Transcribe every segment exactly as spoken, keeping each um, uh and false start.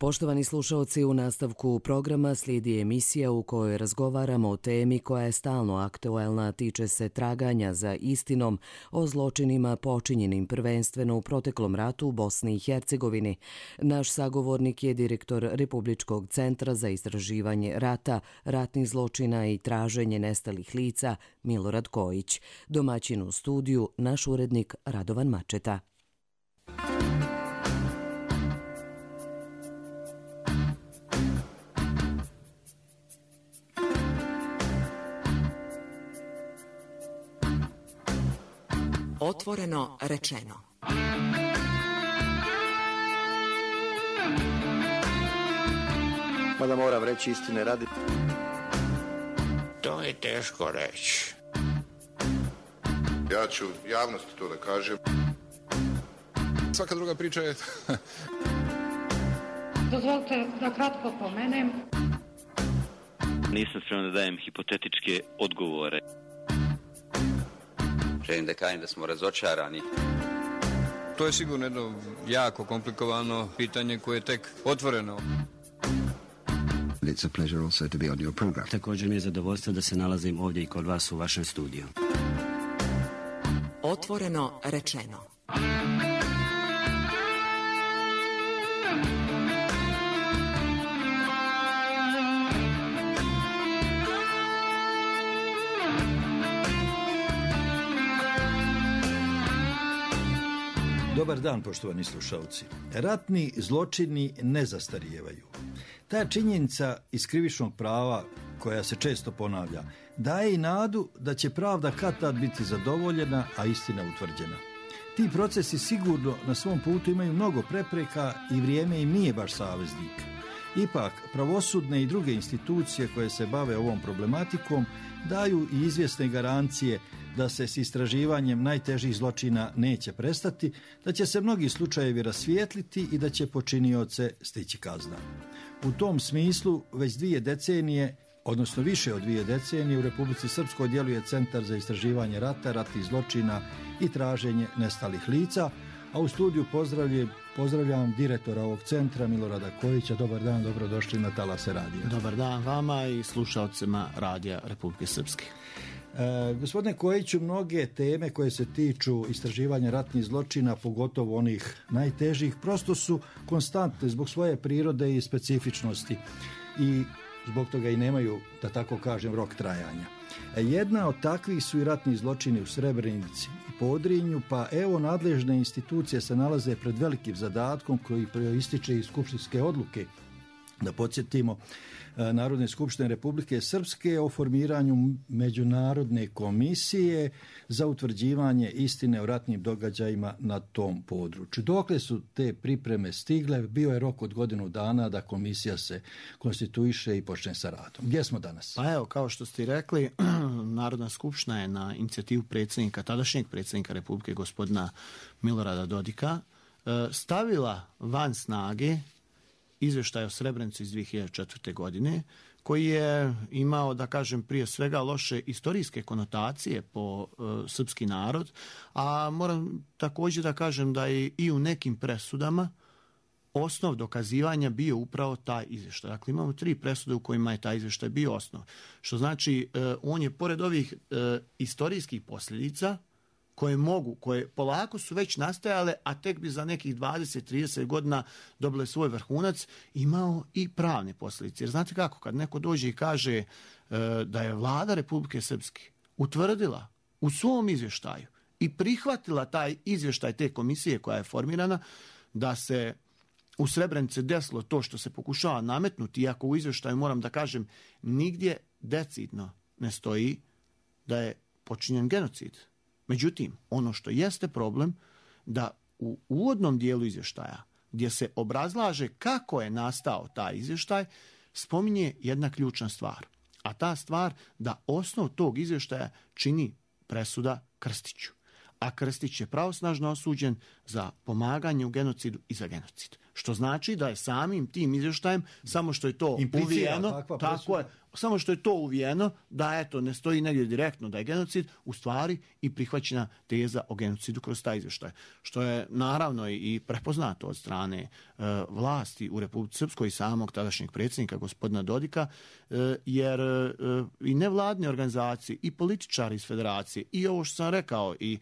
Poštovani slušalci, u nastavku programa slijedi emisija u kojoj razgovaramo o temi koja je stalno aktuelna, tiče se traganja za istinom o zločinima počinjenim prvenstveno u proteklom ratu u Bosni i Hercegovini. Naš sagovornik je direktor Republičkog centra za istraživanje rata, ratnih zločina i traženje nestalih lica Milorad Kojić. Domaćin u studiju, naš urednik Radovan Mačeta. Otvoreno rečeno. Mada moram reći istine radi. To je teško reći. Ja ću javnosti to da kažem. Svaka druga priča je... Dozvolite da kratko pomenem. Nisam spreman da dajem hipotetičke odgovore. Želim da kažem da smo razočarani. To je sigurno jedno jako komplikovano pitanje koje je tek otvoreno. It's a pleasure also to be on your program. Također mi je zadovoljstvo da se nalazim ovdje i kod vas u vašem studiju. Otvoreno rečeno. Dobar dan, poštovani slušalci. Ratni zločini ne zastarijevaju. Ta činjenica iz krivičnog prava, koja se često ponavlja, daje i nadu da će pravda kad-tad biti zadovoljena, a istina utvrđena. Ti procesi sigurno na svom putu imaju mnogo prepreka i vrijeme im nije baš saveznik. Ipak, pravosudne i druge institucije koje se bave ovom problematikom daju i izvjesne garancije da se s istraživanjem najtežih zločina neće prestati, da će se mnogi slučajevi rasvijetliti i da će počinioce stići kazna. U tom smislu već dvije decenije, odnosno više od dvije decenije, u Republici Srpskoj djeluje Centar za istraživanje rata, ratnih zločina i traženje nestalih lica, a u studiju pozdravljam, pozdravljam direktora ovog centra Milorada Kojića. Dobar dan, dobrodošli na Talase radija. Dobar dan vama i slušalcima Radija Republike Srpske. E, gospodine Kojiću, mnoge teme koje se tiču istraživanja ratnih zločina, pogotovo onih najtežih, prosto su konstantne zbog svoje prirode i specifičnosti i zbog toga i nemaju, da tako kažem, rok trajanja. E, jedna od takvih su i ratni zločini u Srebrenici i Podrinju, pa evo nadležne institucije se nalaze pred velikim zadatkom koji proističe iz skupštinske odluke. Da podsjetimo, Narodne skupštine Republike Srpske o formiranju međunarodne komisije za utvrđivanje istine o ratnim događajima na tom području. Dokle su te pripreme stigle? Bio je rok od godinu dana da komisija se konstituiše i počne sa radom. Gdje smo danas? Pa evo, kao što ste rekli, Narodna skupština je na inicijativu predsjednika, tadašnjeg predsjednika Republike, gospodina Milorada Dodika, stavila van snage izvještaj o Srebrenici iz dvije hiljade četvrte. godine, koji je imao, da kažem, prije svega loše istorijske konotacije po e, srpski narod, a moram također da kažem da je i u nekim presudama osnov dokazivanja bio upravo taj izvještaj. Dakle, imamo tri presude u kojima je taj izvještaj bio osnov. Što znači, e, on je pored ovih e, istorijskih posljedica, koje mogu, koje polako su već nastajale, a tek bi za nekih dvadeset do trideset godina dobile svoj vrhunac, imao i pravne posljedice. Jer znate kako, kad neko dođe i kaže e, da je vlada Republike Srpske utvrdila u svom izvještaju i prihvatila taj izvještaj te komisije koja je formirana, da se u Srebrenici desilo to što se pokušava nametnuti, iako u izvještaju, moram da kažem, nigdje decidno ne stoji da je počinjen genocid. Međutim, ono što jeste problem, da u uvodnom dijelu izvještaja, gdje se obrazlaže kako je nastao taj izvještaj, spominje jedna ključna stvar. A ta stvar da osnov tog izvještaja čini presuda Krstiću. A Krstić je pravosnažno osuđen za pomaganje u genocidu i za genocid. Što znači da je samim tim izvještajem, samo što je to uvijeno, tako je, samo što je to uvijeno, da eto, ne stoji negdje direktno da je genocid, u stvari i prihvaćena teza o genocidu kroz taj izvještaj. Što je naravno i prepoznato od strane e, vlasti u Republici Srpskoj i samog tadašnjeg predsjednika gospodina Dodika, e, jer e, i nevladne organizacije i političari iz federacije i ovo što sam rekao i e,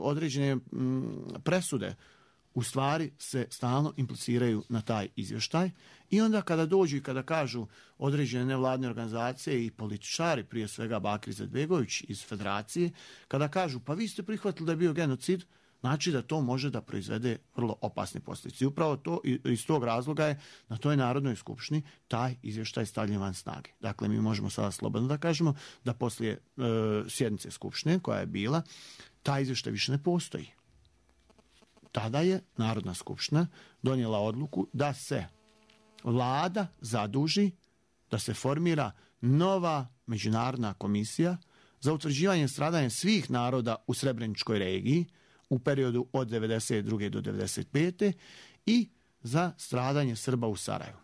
određene m, presude u stvari se stalno impliciraju na taj izvještaj i onda kada dođu i kada kažu određene nevladne organizacije i političari, prije svega Bakir Izetbegović iz federacije, kada kažu pa vi ste prihvatili da je bio genocid, znači da to može da proizvede vrlo opasne posljedice. I upravo to, iz tog razloga je na toj Narodnoj skupštini taj izvještaj stavljen van snage. Dakle, mi možemo sada slobodno da kažemo da poslije e, sjednice skupštine koja je bila, taj izvještaj više ne postoji. Tada je Narodna skupština donijela odluku da se vlada zaduži da se formira nova međunarodna komisija za utvrđivanje stradanja svih naroda u Srebreničkoj regiji u periodu od devedeset druge do devedeset pete i za stradanje Srba u Sarajevu.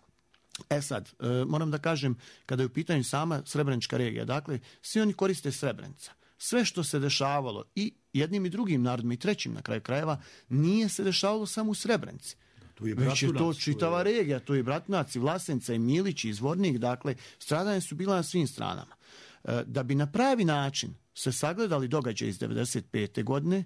E sad, e, moram da kažem, kada je u pitanju sama Srebrenička regija, dakle, svi oni koriste Srebrenica. Sve što se dešavalo i jednim i drugim narodima i trećim na kraju krajeva nije se dešavalo samo u Srebrenici. Tu je već je to čitava je... regija, tu je Bratunac i Vlasenica i Milić i Zvornik, dakle stradanja su bila na svim stranama. E, da bi na pravi način se sagledali događaje iz devedeset pete godine,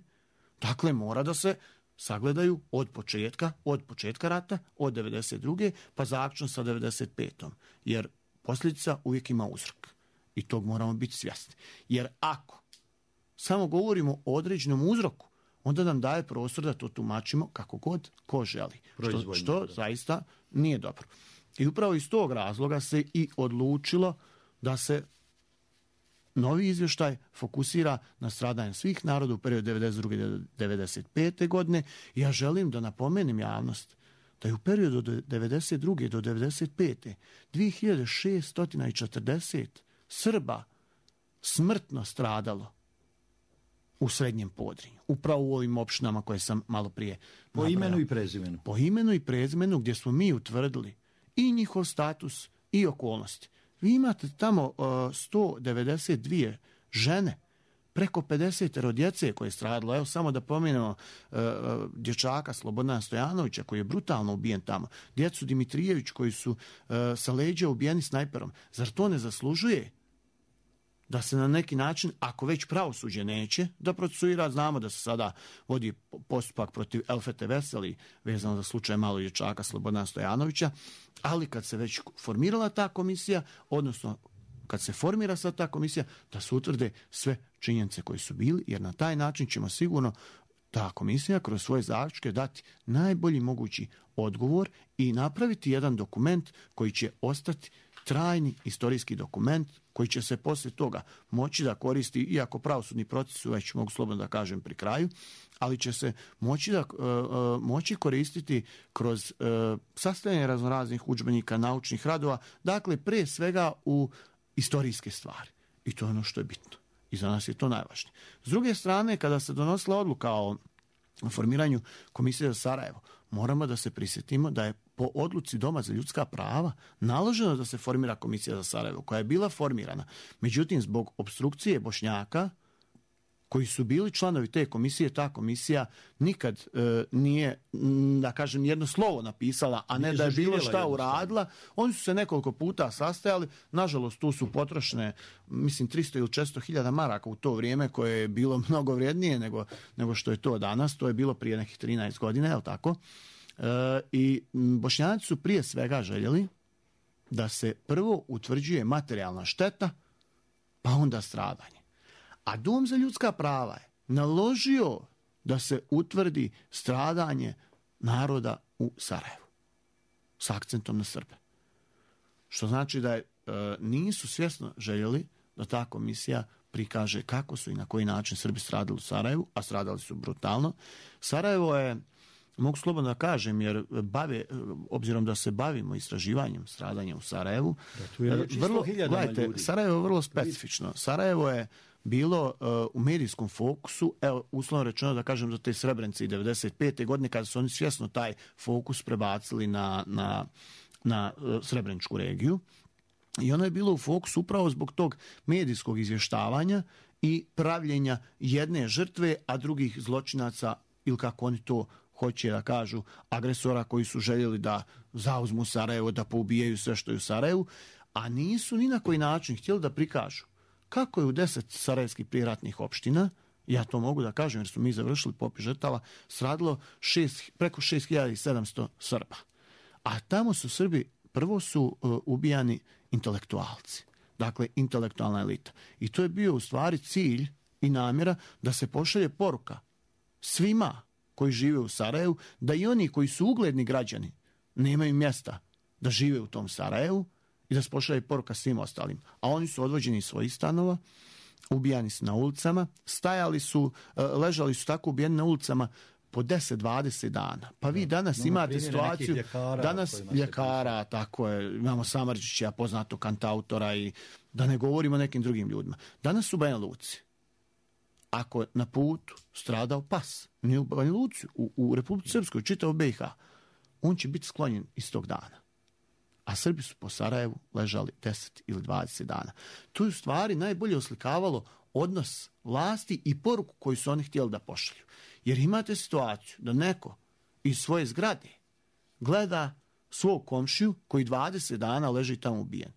dakle mora da se sagledaju od početka, od početka rata, od devedeset druge pa zaključno sa devedeset petom jer posljedica uvijek ima uzrok. I tog moramo biti svjesni. Jer ako samo govorimo o određenom uzroku, onda nam daje prostor da to tumačimo kako god ko želi. Što, što zaista nije dobro. I upravo iz tog razloga se i odlučilo da se novi izvještaj fokusira na stradanje svih naroda u periodu devedeset druge do devedeset pete godine. I ja želim da napomenem javnost da je u periodu od devedeset druge do devedeset pete dvije hiljade šeststo četrdeset Srba smrtno stradalo u Srednjem Podrinju. Upravo u ovim opštinama koje sam malo prije Po nabrajao. imenu i prezimenu. Po imenu i prezimenu gdje smo mi utvrdili i njihov status i okolnosti. Vi imate tamo uh, sto devedeset dvije žene, preko pedeset djece koje je stradalo. Evo samo da pomenemo uh, dječaka Slobodana Stojanovića koji je brutalno ubijen tamo. Djecu Dimitrijević koji su uh, sa leđa ubijeni snajperom. Zar to ne zaslužuje da se na neki način, ako već pravosuđe neće da procesuira, znamo da se sada vodi postupak protiv Elfete Veseli vezano za slučaj malog dječaka Slobodana Stojanovića, ali kad se već formirala ta komisija, odnosno kad se formira sad ta komisija, da se utvrde sve činjenice koje su bili, jer na taj način ćemo sigurno ta komisija kroz svoje zaključke dati najbolji mogući odgovor i napraviti jedan dokument koji će ostati trajni istorijski dokument koji će se poslije toga moći da koristi, iako pravosudni proces su već, mogu slobodno da kažem, pri kraju, ali će se moći, da, uh, moći koristiti kroz uh, sastavljanje raznoraznih udžbenika, naučnih radova, dakle pre svega u istorijske stvari. I to je ono što je bitno. I za nas je to najvažnije. S druge strane, kada se donosila odluka o formiranju Komisije za Sarajevo, moramo da se prisjetimo da je po odluci Doma za ljudska prava naloženo da se formira Komisija za Sarajevo, koja je bila formirana. Međutim, zbog opstrukcije Bošnjaka, koji su bili članovi te komisije, ta komisija nikad e, nije, da kažem, jedno slovo napisala, a ne da je bilo šta uradila. Oni su se nekoliko puta sastajali, nažalost tu su potrošene, mislim, tristo ili četiristo hiljada maraka u to vrijeme, koje je bilo mnogo vrijednije nego, nego što je to danas. To je bilo prije nekih trinaest godina, je li tako? E, I Bošnjaci su prije svega željeli da se prvo utvrđuje materijalna šteta, pa onda stradanje. A Dom za ljudska prava je naložio da se utvrdi stradanje naroda u Sarajevu s akcentom na Srbe. Što znači da je, e, nisu svjesno željeli da ta komisija prikaže kako su i na koji način Srbi stradali u Sarajevu, a stradali su brutalno. Sarajevo je mogu slobodno da kažem, jer bave, obzirom da se bavimo istraživanjem stradanja u Sarajevu, vrlo, gledajte, Sarajevo je vrlo specifično. Sarajevo je bilo uh, u medijskom fokusu, evo, uslovno rečeno da kažem za te Srebrenice i devedeset pete godine, kada su oni svjesno taj fokus prebacili na, na, na uh, Srebreničku regiju. I ono je bilo u fokusu upravo zbog tog medijskog izvještavanja i pravljenja jedne žrtve, a drugih zločinaca, ili kako oni to hoće da kažu, agresora koji su željeli da zauzmu Sarajevo, da poubijaju sve što je u Sarajevu, a nisu ni na koji način htjeli da prikažu kako je u deset sarajevskih prijeratnih opština, ja to mogu da kažem jer su mi završili popis žrtava, stradilo šest, preko šest hiljada sedamsto Srba. A tamo su Srbi, prvo su uh, ubijani intelektualci, dakle intelektualna elita. I to je bio u stvari cilj i namjera da se pošalje poruka svima koji žive u Sarajevu, da i oni koji su ugledni građani nemaju mjesta da žive u tom Sarajevu i da se pošalje poruka svim ostalim. A oni su odvođeni iz svojih stanova, ubijani su na ulicama, stajali su, ležali su tako ubijeni na ulicama po deset do dvadeset dana. Pa vi danas no, imate situaciju, ljekara, danas ljekara, tako je, imamo Samardžića, poznatog kantautora i da ne govorimo o nekim drugim ljudima. Danas su u Banja Luci. Ako na putu stradao pas, nije u Banja Luci, u, u Republici Srpskoj, čitao B i H, on će biti sklonjen iz tog dana. A Srbi su po Sarajevu ležali deset ili dvadeset dana. To je u stvari najbolje oslikavalo odnos vlasti i poruku koju su oni htjeli da pošalju. Jer imate situaciju da neko iz svoje zgrade gleda svog komšiju koji dvadeset dana leži tamo ubijen,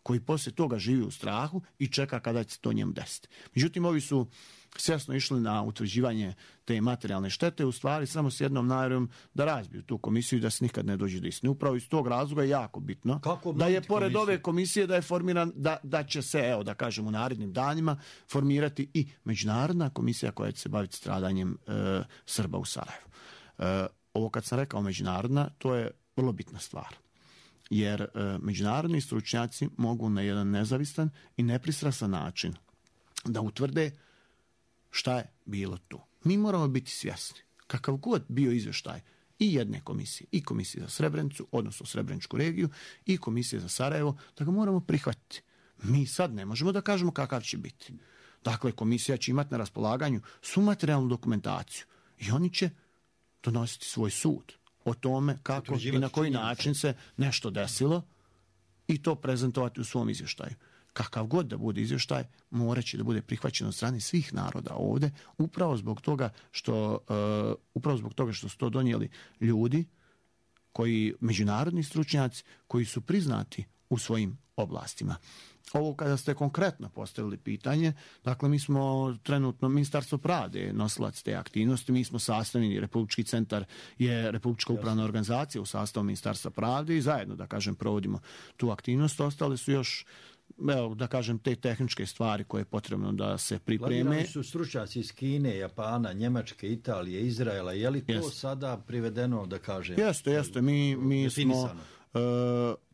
koji poslije toga živi u strahu i čeka kada će to njemu desiti. Međutim, ovi su svjesno išli na utvrđivanje te materijalne štete, u stvari samo s jednom namjerom da razbiju tu komisiju i da se nikad ne dođe do istine. Upravo iz tog razloga je jako bitno da je pored komisiju? ove komisije da je formiran, da, da će se, evo da kažem u narednim danima, formirati i međunarodna komisija koja će se baviti stradanjem e, Srba u Sarajevu. E, ovo kad sam rekao međunarodna, to je vrlo bitna stvar. Jer e, međunarodni stručnjaci mogu na jedan nezavistan i nepristrasan način da utvrde šta je bilo tu. Mi moramo biti svjesni, kakav god bio izvještaj i jedne komisije, i komisije za Srebrenicu, odnosno Srebreničku regiju, i komisije za Sarajevo, da ga moramo prihvatiti. Mi sad ne možemo da kažemo kakav će biti. Dakle, komisija će imati na raspolaganju svu materijalnu dokumentaciju i oni će donositi svoj sud o tome kako i na koji način se nešto desilo i to prezentovati u svom izvještaju. Kakav god da bude izvještaj, morat će da bude prihvaćen od strane svih naroda ovdje, upravo zbog toga što, uh, upravo zbog toga što su to donijeli ljudi, koji, međunarodni stručnjaci, koji su priznati u svojim oblastima. Ovo kada ste konkretno postavili pitanje, dakle mi smo trenutno, Ministarstvo pravde nosilac te aktivnosti, mi smo sastavljeni, Republički centar je Republička upravna organizacija u sastavu Ministarstva pravde i zajedno, da kažem, provodimo tu aktivnost. Ostale su još, evo, da kažem, te tehničke stvari koje je potrebno da se pripreme. Planirani su stručnjaci iz Kine, Japana, Njemačke, Italije, Izraela. Je li to jest. sada privedeno, da kažem? Jeste, jeste. Mi, mi smo... Uh,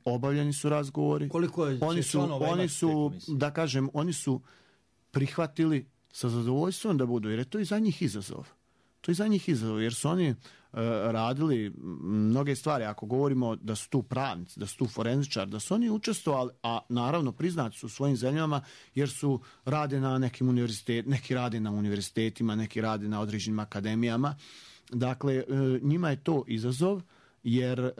obavljeni su razgovori. Koliko je oni su, oni su da kažem, oni su prihvatili sa zadovoljstvom da budu, jer je to i za njih izazov. To je za njih izazov, jer su oni uh, radili mnoge stvari. Ako govorimo da su tu pravnici, da su tu forenzičari, da su oni učestvovali, a naravno priznati su u svojim zemljama, jer su rade na nekim univerzitetima, neki rade na univerzitetima, neki rade na određenim akademijama. Dakle, uh, njima je to izazov, jer uh,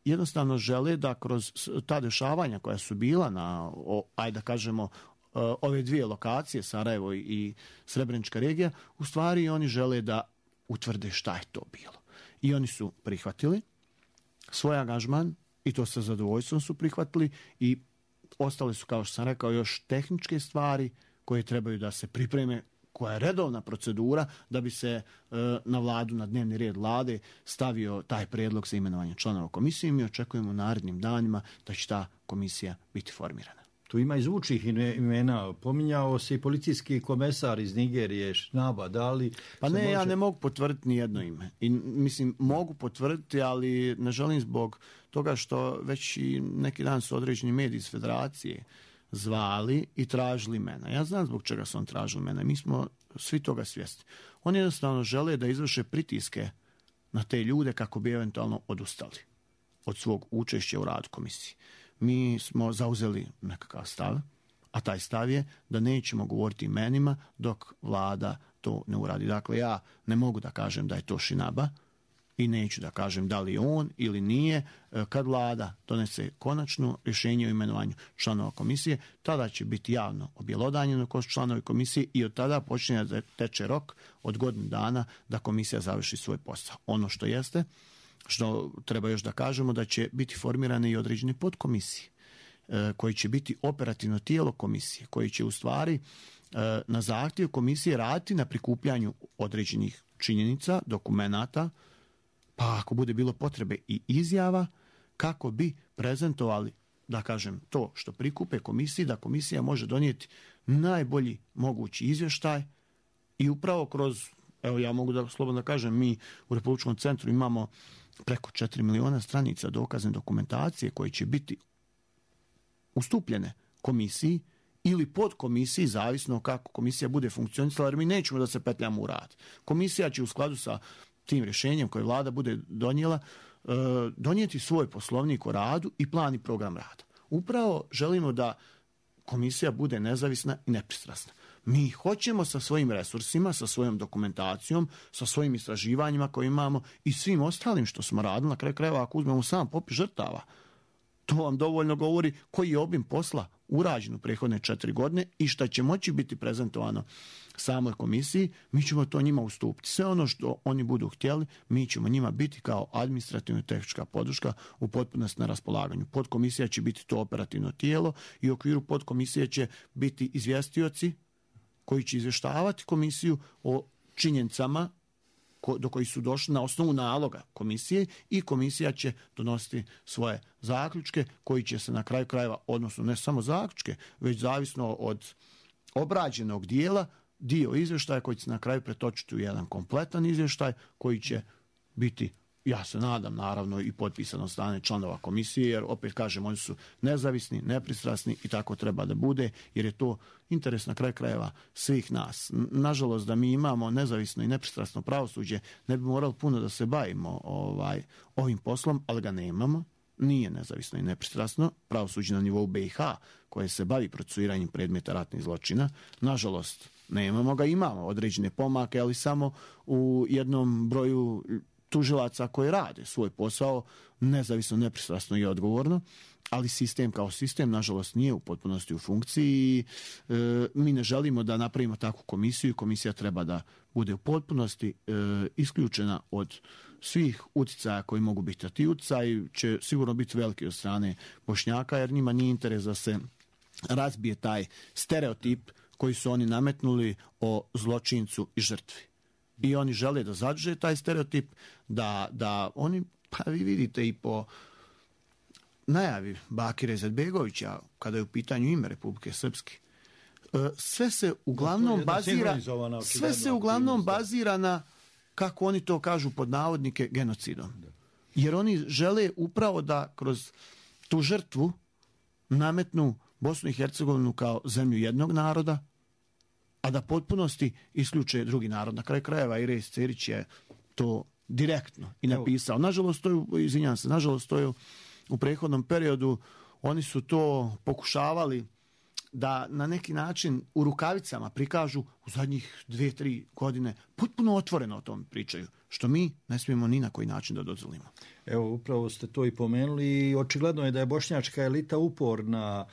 jednostavno žele da kroz ta dešavanja koja su bila na, o, ajde da kažemo, ove dvije lokacije, Sarajevo i Srebrenička regija, u stvari oni žele da utvrde šta je to bilo. I oni su prihvatili svoj angažman i to sa zadovoljstvom su prihvatili i ostale su, kao što sam rekao, još tehničke stvari koje trebaju da se pripreme, koja je redovna procedura da bi se e, na vladu, na dnevni red vlade stavio taj prijedlog za imenovanje članova komisije i mi očekujemo u narednim danima da će ta komisija biti formirana. Tu ima i zvučnih imena. Pominjao se i policijski komesar iz Nigerije, Šnaba, da li... Pa ne, može... ja ne mogu potvrditi ni jedno ime. I, mislim, mogu potvrditi, ali ne želim zbog toga što već i neki dan su određeni mediji iz federacije zvali i tražili mene. Ja znam zbog čega su on tražili mene. Mi smo svi toga svjesni. Oni jednostavno žele da izvrše pritiske na te ljude kako bi eventualno odustali od svog učešća u radu komisije. Mi smo zauzeli nekakav stav, a taj stav je da nećemo govoriti imenima dok vlada to ne uradi. Dakle, ja ne mogu da kažem da je to Šinaba i neću da kažem da li je on ili nije. Kad vlada donese konačno rješenje o imenovanju članova komisije, tada će biti javno objelodanjeno ko su članovi komisije i od tada počinje da teče rok od godinu dana da komisija završi svoj posao. Ono što jeste, što treba još da kažemo, da će biti formirane i određene podkomisije koji će biti operativno tijelo komisije, koji će u stvari na zahtjev komisije raditi na prikupljanju određenih činjenica, dokumenata, pa ako bude bilo potrebe i izjava, kako bi prezentovali, da kažem, to što prikupe komisiji, da komisija može donijeti najbolji mogući izvještaj i upravo kroz, evo ja mogu da slobodno da kažem, mi u Republičkom centru imamo preko četiri miliona stranica dokazne dokumentacije koje će biti ustupljene komisiji ili pod komisiji, zavisno kako komisija bude funkcionisala, jer mi nećemo da se petljamo u rad. Komisija će u skladu sa tim rješenjem koje vlada bude donijela, donijeti svoj poslovnik o radu i plan i program rada. Upravo želimo da komisija bude nezavisna i nepristrasna. Mi hoćemo sa svojim resursima, sa svojom dokumentacijom, sa svojim istraživanjima koje imamo i svim ostalim što smo radili, na kraju krajeva ako uzmemo sam popis žrtava, to vam dovoljno govori koji je obim posla urađen u prethodne četiri godine i šta će moći biti prezentovano samoj komisiji, mi ćemo to njima ustupiti. Sve ono što oni budu htjeli, mi ćemo njima biti kao administrativna i tehnička podrška u potpunosti na raspolaganju. Podkomisija će biti to operativno tijelo i u okviru podkomisije će biti izvjestioci koji će izvještavati komisiju o činjenicama do koji su došli na osnovu naloga komisije i komisija će donositi svoje zaključke koji će se na kraju krajeva, odnosno ne samo zaključke, već zavisno od obrađenog dijela, dio izvještaja koji će se na kraju pretočiti u jedan kompletan izvještaj koji će biti, ja se nadam, naravno i potpisan od strane članova komisije, jer opet kažem, oni su nezavisni, nepristrasni i tako treba da bude, jer je to interes na kraju krajeva svih nas. Nažalost, da mi imamo nezavisno i nepristrasno pravosuđe, ne bi morali puno da se bavimo ovaj, ovim poslom, ali ga nemamo. Nije nezavisno i nepristrasno pravosuđe na nivou be i ha koje se bavi procesuiranjem predmeta ratnih zločina. Nažalost, nemamo ga, imamo određene pomake, ali samo u jednom broju tužilaca koji rade svoj posao nezavisno, nepristrasno i odgovorno, ali sistem kao sistem, nažalost, nije u potpunosti u funkciji. E, mi ne želimo da napravimo takvu komisiju. Komisija treba da bude u potpunosti e, isključena od svih utjecaja koji mogu biti. A ti utjecaji će sigurno biti veliki od strane Bošnjaka, jer njima nije interes da se razbije taj stereotip koji su oni nametnuli o zločincu i žrtvi. I oni žele da zadrže taj stereotip, da, da oni, pa vi vidite i po najavi Bakira Izetbegovića, kada je u pitanju ime Republike Srpske, sve se uglavnom bazira, sve se uglavnom bazira na, kako oni to kažu pod navodnike, genocidom. Jer oni žele upravo da kroz tu žrtvu nametnu Bosnu i Hercegovinu kao zemlju jednog naroda, a da potpunosti isključe drugi narod. Na kraju krajeva i Iris Cerić je to direktno i napisao. Nažalost, to je, izvinjam se, nažalost, to je u prethodnom periodu, oni su to pokušavali da na neki način u rukavicama prikažu u zadnjih dvije, tri godine, potpuno otvoreno o tom pričaju, što mi ne smijemo ni na koji način da dozvolimo. Evo, upravo ste to i pomenuli i očigledno je da je bošnjačka elita uporna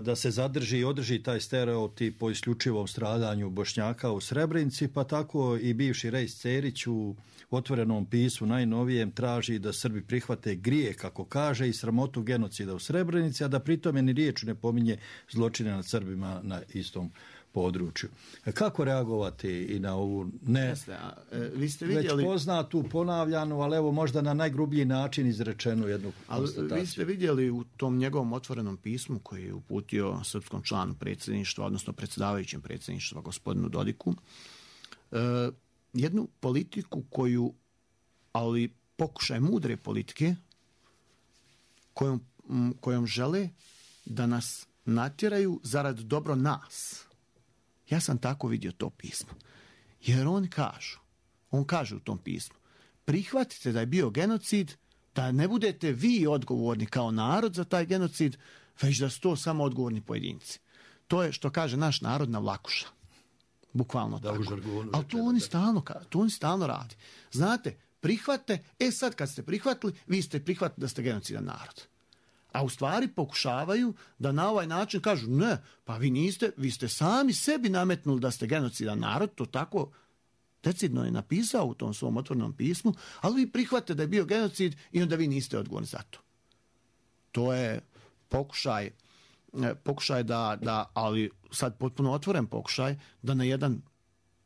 da se zadrži i održi taj stereotip o isključivom stradanju Bošnjaka u Srebrenici, pa tako i bivši Rejs Cerić u otvorenom pismu najnovijem traži da Srbi prihvate grije, kako kaže, i sramotu genocida u Srebrenici, a da pritome ni riječu ne pominje zločine nad Srbima na istom području. Kako reagovati i na ovu ne Jeste, a, e, vi ste vidjeli... već poznatu, ponavljanu, ali evo možda na najgrublji način izrečenu jednu ali konstataciju? Vi ste vidjeli u tom njegovom otvorenom pismu koji je uputio srpskom članu predsjedništva, odnosno predsjedavajućem predsjedništva gospodinu Dodiku, e, jednu politiku koju, ali pokušaj mudre politike, kojom, kojom žele da nas natjeraju zarad dobro nas. Ja sam tako vidio to pismo. Jer on kažu, on kaže u tom pismu, prihvatite da je bio genocid, da ne budete vi odgovorni kao narod za taj genocid, već da su to samo odgovorni pojedinci. To je, što kaže naš narod, na vlakuša. Bukvalno da, tako. Ali to oni, stalno, to oni stalno radi. Znate, prihvate, e sad kad ste prihvatili, vi ste prihvatili da ste genocidan narod. A u stvari pokušavaju da na ovaj način kažu, ne, pa vi niste, vi ste sami sebi nametnuli da ste genocidan narod, to tako decidno je napisao u tom svom otvorenom pismu, ali vi prihvatite da je bio genocid i onda vi niste odgovorni za to. To je pokušaj, pokušaj da, da, ali sad potpuno otvoren pokušaj, da na jedan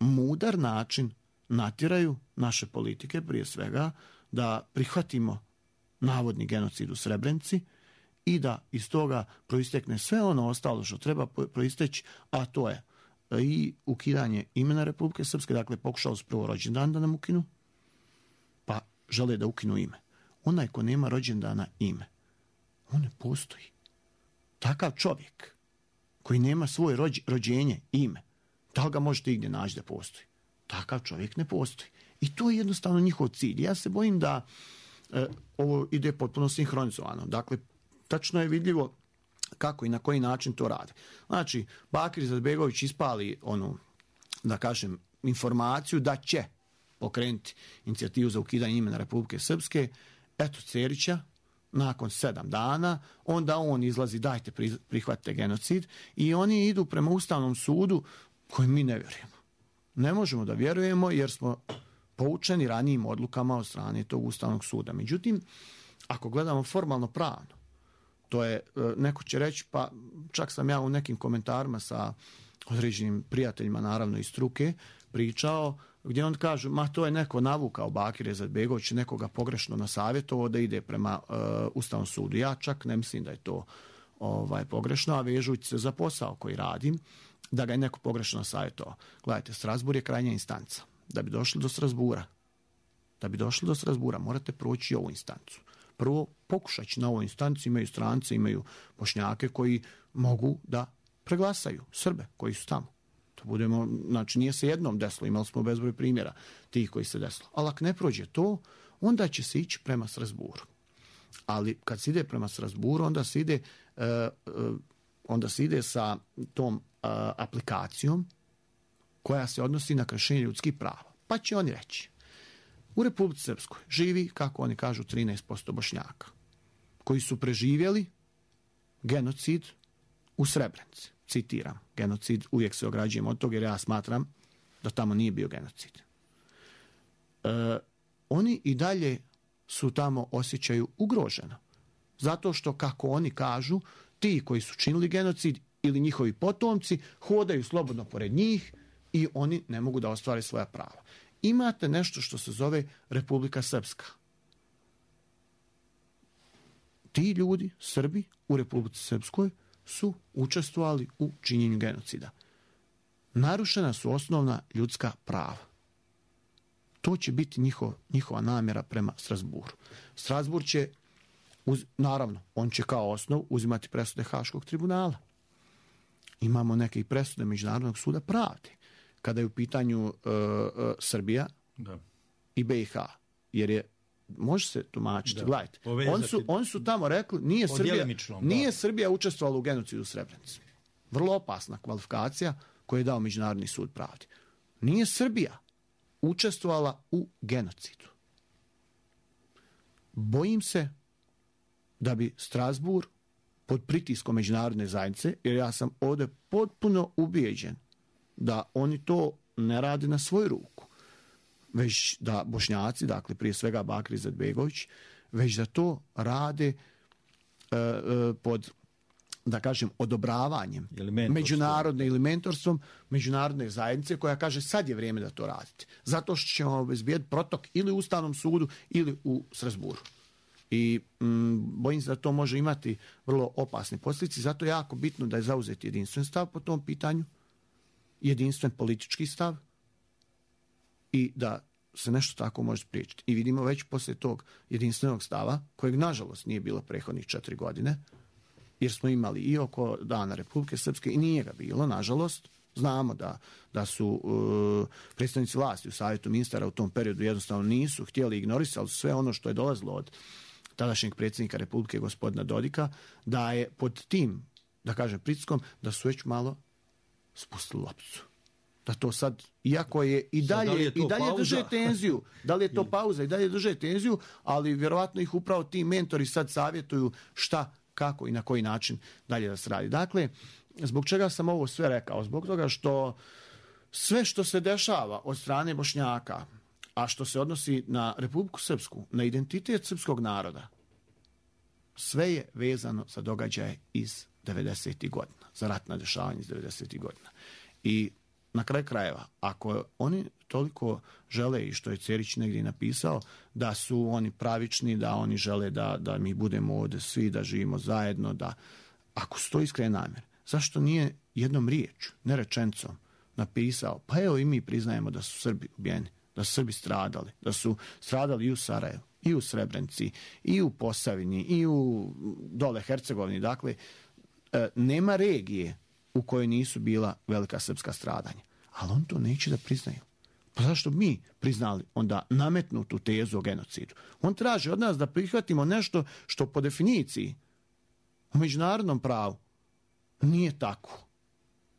mudar način natjeraju naše politike, prije svega, da prihvatimo navodni genocid u Srebrenici i da iz toga proistekne sve ono ostalo što treba proisteći, a to je i ukidanje imena Republike Srpske, dakle pokušao su prvo rođendan da nam ukinu, pa žele da ukinu ime. Onaj ko nema rođendana ime, on ne postoji. Takav čovjek koji nema svoje rođ, rođenje, ime, da li ga možete igdje naći da postoji? Takav čovjek ne postoji. I to je jednostavno njihov cilj. Ja se bojim da e, ovo ide potpuno sinhronizovano. Dakle, tačno je vidljivo kako i na koji način to rade. Znači, Bakir Izetbegović ispali onu, da kažem, informaciju da će pokrenuti inicijativu za ukidanje imena Republike Srpske. Eto Cerića, nakon sedam dana, onda on izlazi, dajte prihvatite genocid, i oni idu prema Ustavnom sudu kojem mi ne vjerujemo. Ne možemo da vjerujemo jer smo poučeni ranijim odlukama od strane tog Ustavnog suda. Međutim, ako gledamo formalno pravno, to je, neko će reći, pa čak sam ja u nekim komentarima sa određenim prijateljima, naravno iz struke, pričao, gdje on kaže, ma to je neko navukao Bakir Izetbegović, nekoga pogrešno nasavjetovao da ide prema uh, Ustavnom sudu. Ja čak ne mislim da je to ovaj, pogrešno, a vežući se za posao koji radim, da ga je neko pogrešno nasavjetovao. Gledajte, Strasbourg je krajnja instanca. Da bi došli do Strasbourga, da bi došli do Strasbourga, morate proći ovu instancu. Prvo, pokušaći na ovoj instanci, imaju strance, imaju Bošnjake koji mogu da preglasaju Srbe koji su tamo. To budemo, znači nije se jednom desilo, imali smo bezbroj primjera tih koji se desilo. Ali ako ne prođe to, onda će se ići prema Strasbourgu. Ali kad se ide prema Strasbourgu, onda se ide, uh, uh, onda se ide sa tom uh, aplikacijom koja se odnosi na kršenje ljudskih prava. Pa će oni reći, u Republici Srpskoj živi, kako oni kažu, trinaest posto Bošnjaka koji su preživjeli genocid u Srebrenici. Citiram, genocid, uvijek se ograđujem od toga jer ja smatram da tamo nije bio genocid. E, oni i dalje su tamo osjećaju ugroženo. Zato što, kako oni kažu, ti koji su činili genocid ili njihovi potomci hodaju slobodno pored njih i oni ne mogu da ostvare svoja prava. Imate nešto što se zove Republika Srpska. Ti ljudi, Srbi u Republici Srpskoj, su učestvovali u činjenju genocida. Narušena su osnovna ljudska prava. To će biti njihov, njihova namjera prema Strasbourgu. Strasbourg će, uz, naravno, on će kao osnov uzimati presude Haškog tribunala. Imamo neke i presude Međunarodnog suda pravde, kada je u pitanju uh, uh, Srbija da. I B i H. Jer je, može se tumačiti, gledajte, on su, on su tamo rekli, nije Srbija, nije Srbija učestvovala u genocidu u Srebrenici. Vrlo opasna kvalifikacija koju je dao Međunarodni sud pravde. Nije Srbija učestvovala u genocidu. Bojim se da bi Strasbourg pod pritiskom međunarodne zajednice, jer ja sam ovdje potpuno ubijeđen da oni to ne rade na svoju ruku, već da Bošnjaci, dakle prije svega Bakir Izetbegović, već da to rade e, e, pod, da kažem, odobravanjem međunarodne ili mentorstvom međunarodne zajednice koja kaže sad je vrijeme da to radite. Zato što ćemo obezbijeti protok ili u Ustavnom sudu ili u Strasbourgu. I m, bojim se da to može imati vrlo opasne posljedice, zato je jako bitno da je zauzeti jedinstven stav po tom pitanju, jedinstven politički stav i da se nešto tako može spriječiti. I vidimo već poslije tog jedinstvenog stava, kojeg nažalost nije bilo prethodnih četiri godine, jer smo imali i oko Dana Republike Srpske i nije ga bilo, nažalost, Znamo da, da su uh, predstavnici vlasti u savjetu ministara u tom periodu jednostavno nisu htjeli, ignorisali sve ono što je dolazilo od tadašnjeg predsjednika Republike gospodina Dodika, da je pod tim, da kažem, pritiskom, da su već malo spustili lopticu. Da to sad, iako je i dalje, je i dalje drže tenziju, da li je to pauza i dalje drže tenziju, ali vjerovatno ih upravo ti mentori sad savjetuju šta, kako i na koji način dalje da se radi. Dakle, zbog čega sam ovo sve rekao? Zbog toga što sve što se dešava od strane Bošnjaka, a što se odnosi na Republiku Srpsku, na identitet srpskog naroda, sve je vezano za događaje iz devedesetih godina, za ratna dešavanja iz devedesetih godina. I na kraju krajeva, ako oni toliko žele, i što je Cerić negdje napisao, da su oni pravični, da oni žele da, da mi budemo ovdje svi, da živimo zajedno, da ako su to iskrene namjere, zašto nije jednom riječu, ne rečencom, napisao, pa evo i mi priznajemo da su Srbi ubijeni, da su Srbi stradali, da su stradali i u Sarajevu, i u Srebrenici, i u Posavini, i u dole Hercegovini. Dakle, nema regije u kojoj nisu bila velika srpska stradanja. Ali on to neće da priznaju. Pa zašto mi priznali onda nametnutu tezu o genocidu? On traži od nas da prihvatimo nešto što po definiciji u međunarodnom pravu nije tako.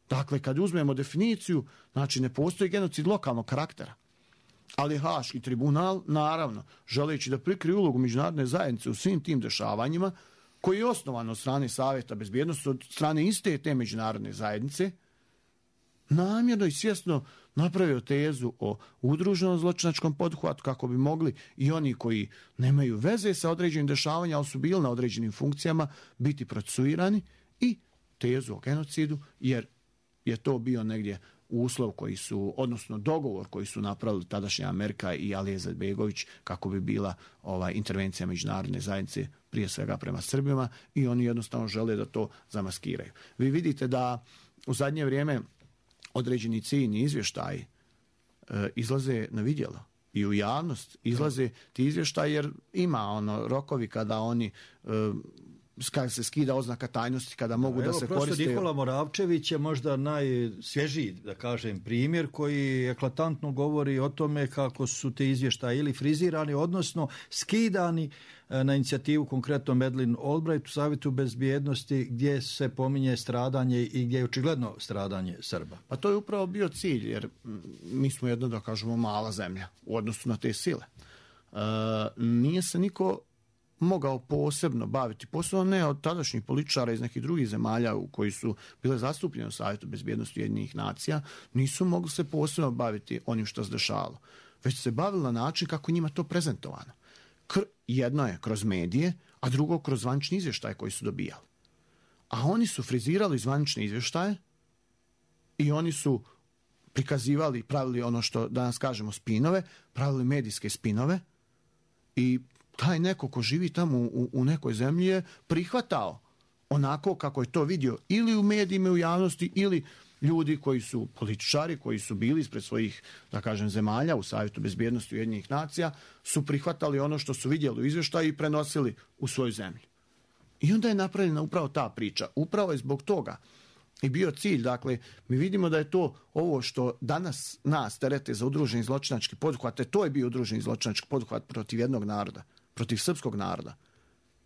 Dakle, kad uzmemo definiciju, znači ne postoji genocid lokalnog karaktera. Ali Haški tribunal, naravno, želeći da prikrije ulogu međunarodne zajednice u svim tim dešavanjima, koji je osnovan od strane Savjeta bezbjednosti, od strane iste te međunarodne zajednice, namjerno i svjesno napravio tezu o udruženom zločinačkom poduhvatu kako bi mogli i oni koji nemaju veze sa određenim dešavanjima, ali su bili na određenim funkcijama, biti procesuirani, i tezu o genocidu, jer je to bio negdje uslov koji su, odnosno dogovor koji su napravili tadašnja Amerika i Alija Izetbegović kako bi bila ova intervencija međunarodne zajednice prije svega prema Srbima, i oni jednostavno žele da to zamaskiraju. Vi vidite da u zadnje vrijeme određeni ciljni izvještaji e, izlaze na vidjelo i u javnost izlaze ti izvještaji, jer ima ono rokovi kada oni e, kada se skida oznaka tajnosti, kada mogu Evo, da se prosto koriste. Nikola Moravčević je možda najsvježiji, da kažem, primjer koji eklatantno govori o tome kako su te izvještaje ili frizirani, odnosno skidani na inicijativu konkretno Madeleine Albright u Savjetu bezbjednosti, gdje se pominje stradanje i gdje je očigledno stradanje Srba. Pa to je upravo bio cilj, jer mi smo jedno, da kažemo, mala zemlja u odnosu na te sile. E, nije se niko mogao posebno baviti, posebno ne od tadašnjih političara iz nekih drugih zemalja u koji su bile zastupljene u Savjetu bezbjednosti Ujedinjenih nacija, nisu mogli se posebno baviti onim što se dešavalo, već se bavili na način kako njima to prezentovano. Kr- jedno je kroz medije, a drugo kroz zvanični izvještaje koji su dobijali. A oni su frizirali zvanične izvještaje i oni su prikazivali, pravili ono što danas kažemo spinove, pravili medijske spinove, i taj neko ko živi tamo u, u nekoj zemlji je prihvatao onako kako je to vidio ili u medijima, u javnosti, ili ljudi koji su političari, koji su bili ispred svojih, da kažem, zemalja u Savjetu bezbjednosti Ujedinjenih nacija, su prihvatali ono što su vidjeli u izvještaju i prenosili u svoju zemlju. I onda je napravljena upravo ta priča. Upravo je zbog toga i bio cilj. Dakle, mi vidimo da je to ovo što danas nas terete za udruženi zločinački poduhvat, to je bio udruženi zločinački poduhvat protiv jednog naroda, protiv srpskog naroda,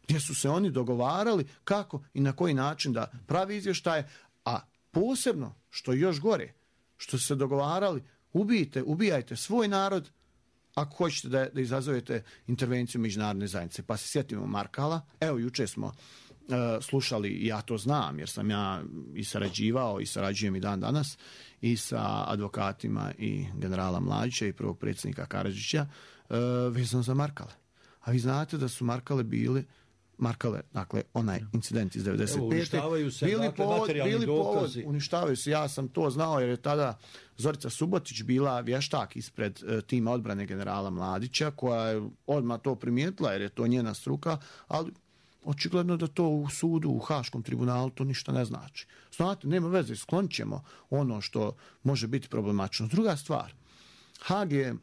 gdje su se oni dogovarali kako i na koji način da pravi izvještaje, a posebno, što je još gore, što su se dogovarali, ubijte, ubijajte svoj narod ako hoćete da, da izazovete intervenciju međunarodne zajednice. Pa se sjetimo Markala. Evo, juče smo uh, slušali, ja to znam, jer sam ja i sarađivao i sarađujem i dan danas i sa advokatima i generala Mladića i prvog predsjednika Karadžića uh, vezano za Markale. A vi znate da su Markale bili Markale, dakle, onaj incident iz devedeset pete. Evo, uništavaju se, bili dakle, povod, materijalni bili dokazi. Povod, uništavaju se, ja sam to znao jer je tada Zorica Subotić bila vještak ispred uh, tima odbrane generala Mladića, koja je odmah to primijetila jer je to njena struka, ali očigledno da to u sudu, u Haškom tribunalu, to ništa ne znači. Znate, nema veze, sklonit ćemo ono što može biti problematično. Druga stvar, Hag je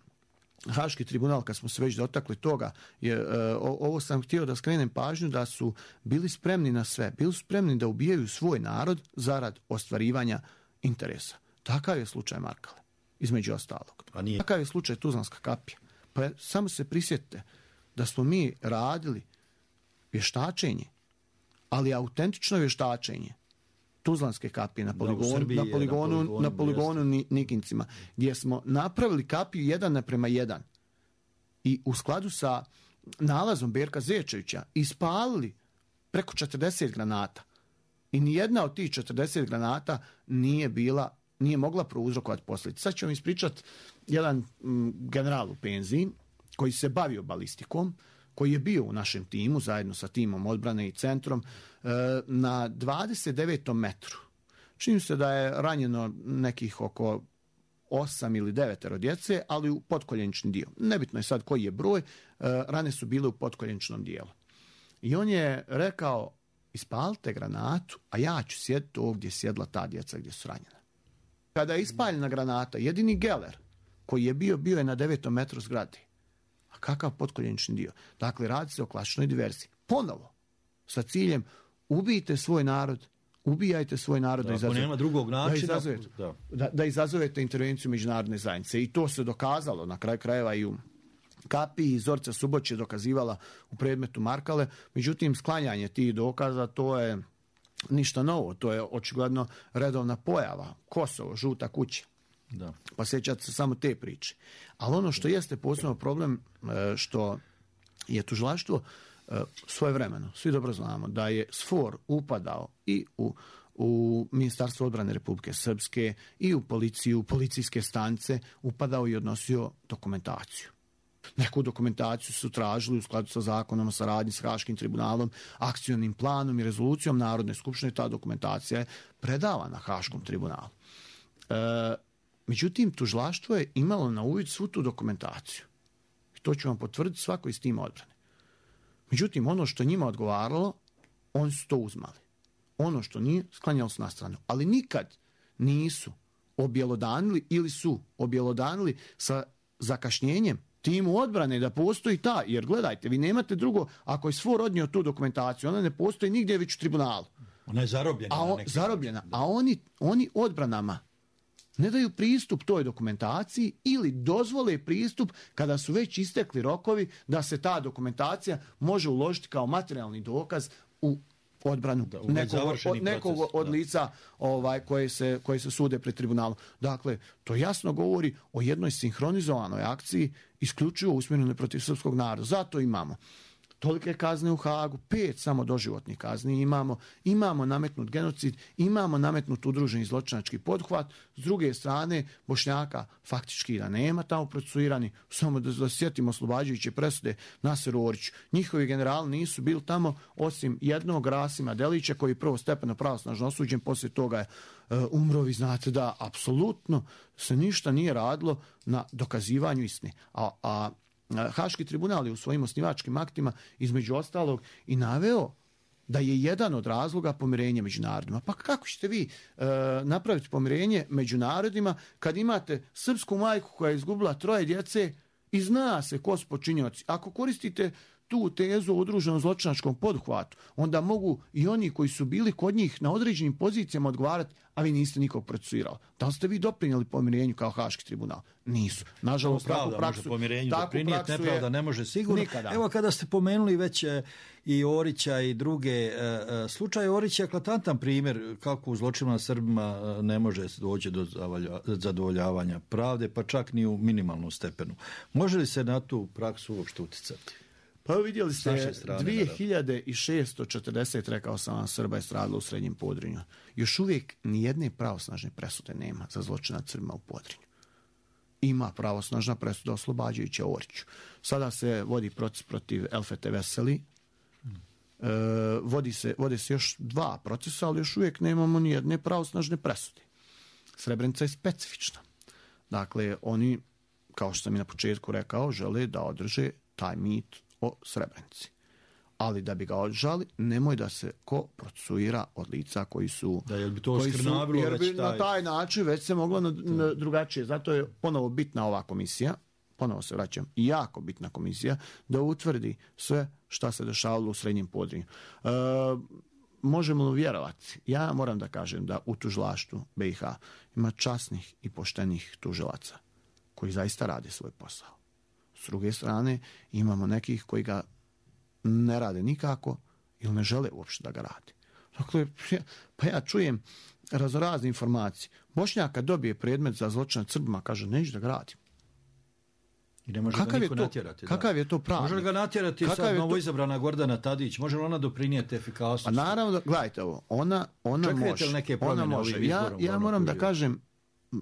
Haški tribunal, kad smo se već dotakli toga, je, uh, ovo sam htio da skrenem pažnju, da su bili spremni na sve. Bili su spremni da ubijaju svoj narod zarad ostvarivanja interesa. Takav je slučaj Markale, između ostalog. A nije. Takav je slučaj Tuzlanska kapija. Pa samo se prisjetite da smo mi radili vještačenje, ali autentično vještačenje Tuzlanske kapije na poligonu, Srbiji, na poligonu, na poligonu, na poligonu Nikincima, gdje smo napravili kapiju jedan naprema jedan i u skladu sa nalazom Berka Zečevića ispalili preko četrdeset granata. I nijedna od tih četrdeset granata nije bila, nije mogla prouzrokovati posljedice. Sad ću vam ispričati jedan m, general u penziji koji se bavio balistikom, koji je bio u našem timu zajedno sa timom odbrane i centrom e, na dvadeset devetom metru. Čini se da je ranjeno nekih oko osam ili devetero djece, ali u potkoljenični dio. Nebitno je sad koji je broj, e, rane su bile u potkoljeničnom dijelu. I on je rekao, ispalite granatu, a ja ću sjediti ovdje gdje je sjedla ta djeca gdje su ranjena. Kada je ispaljena granata, jedini geler koji je bio, bio je na devetom metru zgrade. A kakav potkoljenični dio? Dakle, radi se o klasičnoj diverziji. Ponovo, sa ciljem, ubijte svoj narod, ubijajte svoj narod da, da izazovete. Nema drugog načina. Da izazovete, da. Da, da izazovete intervenciju međunarodne zajednice. I to se dokazalo na kraju krajeva i u kapiji. Zorica Suboć je dokazivala u predmetu Markale. Međutim, sklanjanje tih dokaza, to je ništa novo. To je očigledno redovna pojava. Kosovo, žuta kuća. Da. Pa sjećate se samo te priče. Ali ono što jeste posebno problem, što je tužilaštvo svojevremeno, svi dobro znamo da je SFOR upadao i u, u Ministarstvo odbrane Republike Srpske i u policiju, u policijske stanice, upadao i odnosio dokumentaciju. Neku dokumentaciju su tražili u skladu sa zakonom o saradnji s Haškim tribunalom, akcionim planom i rezolucijom Narodne skupštine. Ta dokumentacija je predavana Haškom tribunalu. E, međutim, tužilaštvo je imalo na uvid svu tu dokumentaciju. I to ću vam potvrditi svako iz tima odbrane. Međutim, ono što njima odgovaralo, oni su to uzmali. Ono što nije, sklanjalo su na stranu. Ali nikad nisu objelodanili ili su objelodanili sa zakašnjenjem timu odbrane da postoji ta, jer gledajte, vi nemate drugo, ako je SFOR odnio tu dokumentaciju, ona ne postoji nigdje već u tribunalu. Ona je zarobljena. A, on, zarobljena, a oni, oni odbranama ne daju pristup toj dokumentaciji ili dozvole pristup kada su već istekli rokovi da se ta dokumentacija može uložiti kao materijalni dokaz u odbranu da, u nekog, od, nekog proces, od lica ovaj, koje, se, koje se sude pred tribunalom. Dakle, to jasno govori o jednoj sinhronizovanoj akciji isključivo usmjerenoj protiv srpskog naroda. Zato imamo tolike kazne u Hagu, pet samo doživotnih kazni imamo, imamo nametnut genocid, imamo nametnut udruženi zločinački pothvat, s druge strane Bošnjaka faktički da nema tamo procesuirani, samo da, da sjetimo oslobađajuće presude Naseru Oriću. Njihovi generali nisu bili tamo osim jednog Rasima Delića koji je prvo stepeno pravosnažno osuđen, poslije toga je uh, umro. Vi znate da apsolutno se ništa nije radilo na dokazivanju istine. A, a Haški tribunal je u svojim osnivačkim aktima između ostalog i naveo da je jedan od razloga pomirenje među narodima. Pa kako ćete vi e, napraviti pomirenje među narodima kad imate srpsku majku koja je izgubila troje djece i zna se ko su počinioci? Ako koristite tu tezu o udruženom zločinačkom poduhvatu, onda mogu i oni koji su bili kod njih na određenim pozicijama odgovarati, a vi niste nikog procesuirali. Da li ste vi doprinijeli pomirenju kao Haški tribunal? Nisu. Nažalost, takvu praksu, takvu praksu nepravda ne može sigurno. Nikada. Evo kada ste pomenuli već e, i Orića i druge, e, e, slučaj Orića je eklatantan primjer kako u zločinima Srbima e, ne može doći do zadovoljavanja pravde, pa čak ni u minimalnom stepenu. Može li se na tu praksu uopšte uticati? Pa vidjeli ste, dvije hiljade šesto četrdeset, rekao sam vam, Srba je stradalo u Srednjem Podrinju. Još uvijek nijedne pravosnažne presude nema za zločin nad Srbima u Podrinju. Ima pravosnažna presuda oslobađajuća Oriću. Sada se vodi proces protiv Elfete Veseli. Hmm. E, vodi se, vodi se još dva procesa, ali još uvijek nemamo nijedne pravosnažne presude. Srebrenica je specifična. Dakle, oni, kao što sam i na početku rekao, žele da održe taj mit o Srebrenici. Ali da bi ga održali, nemoj da se ko procesuira od lica koji su... Da, jel bi to koji su, jer bi taj... na taj način već se moglo na, na drugačije. Zato je ponovo bitna ova komisija, ponovo se vraćam, jako bitna komisija, da utvrdi sve šta se dešavalo u Srednjem Podrinju. E, možemo li vjerovati? Ja moram da kažem da u tužilaštvu B i H ima časnih i poštenih tužilaca koji zaista rade svoj posao. S druge strane, imamo nekih koji ga ne rade nikako ili ne žele uopšte da ga rade. Dakle, pa ja čujem raznorazne informacije. Bošnjak kad dobije predmet za zločin nad Srbima, kaže, neću da ga radim. I ne može kakav ga niko je to, natjerati. Kakav da. je to pravnik? Može li ga natjerati kakav sad to... novoizabrana Gordana Tadić? Može li ona doprinijeti efikasnosti? Pa naravno, da, gledajte ovo, ona, ona Čekajte može. li neke Ona može. Ja, ja moram da kažem, uh,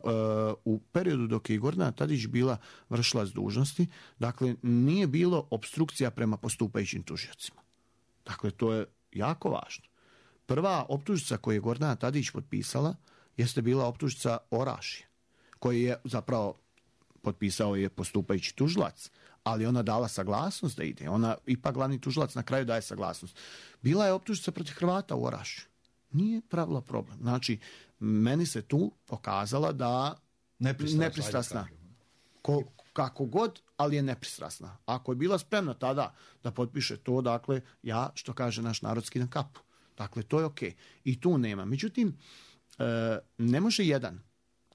u periodu dok je Gordana Tadić bila vršilac dužnosti, dakle, nije bilo obstrukcija prema postupajućim tužiocima. Dakle, to je jako važno. Prva optužnica koju je Gordana Tadić potpisala jeste bila optužnica Orašje, koji je zapravo potpisao je postupajući tužilac, ali ona dala saglasnost da ide. Ona, ipak glavni tužilac na kraju daje saglasnost. Bila je optužnica protiv Hrvata u Orašju. Nije pravila problem. Znači, meni se tu pokazala da nepristrasna. nepristrasna. Ko, kako god, ali je nepristrasna. Ako je bila spremna tada da potpiše to, dakle, ja, što kaže naš narod, skidam kapu. Dakle, to je okej. I tu nema. Međutim, e, ne može jedan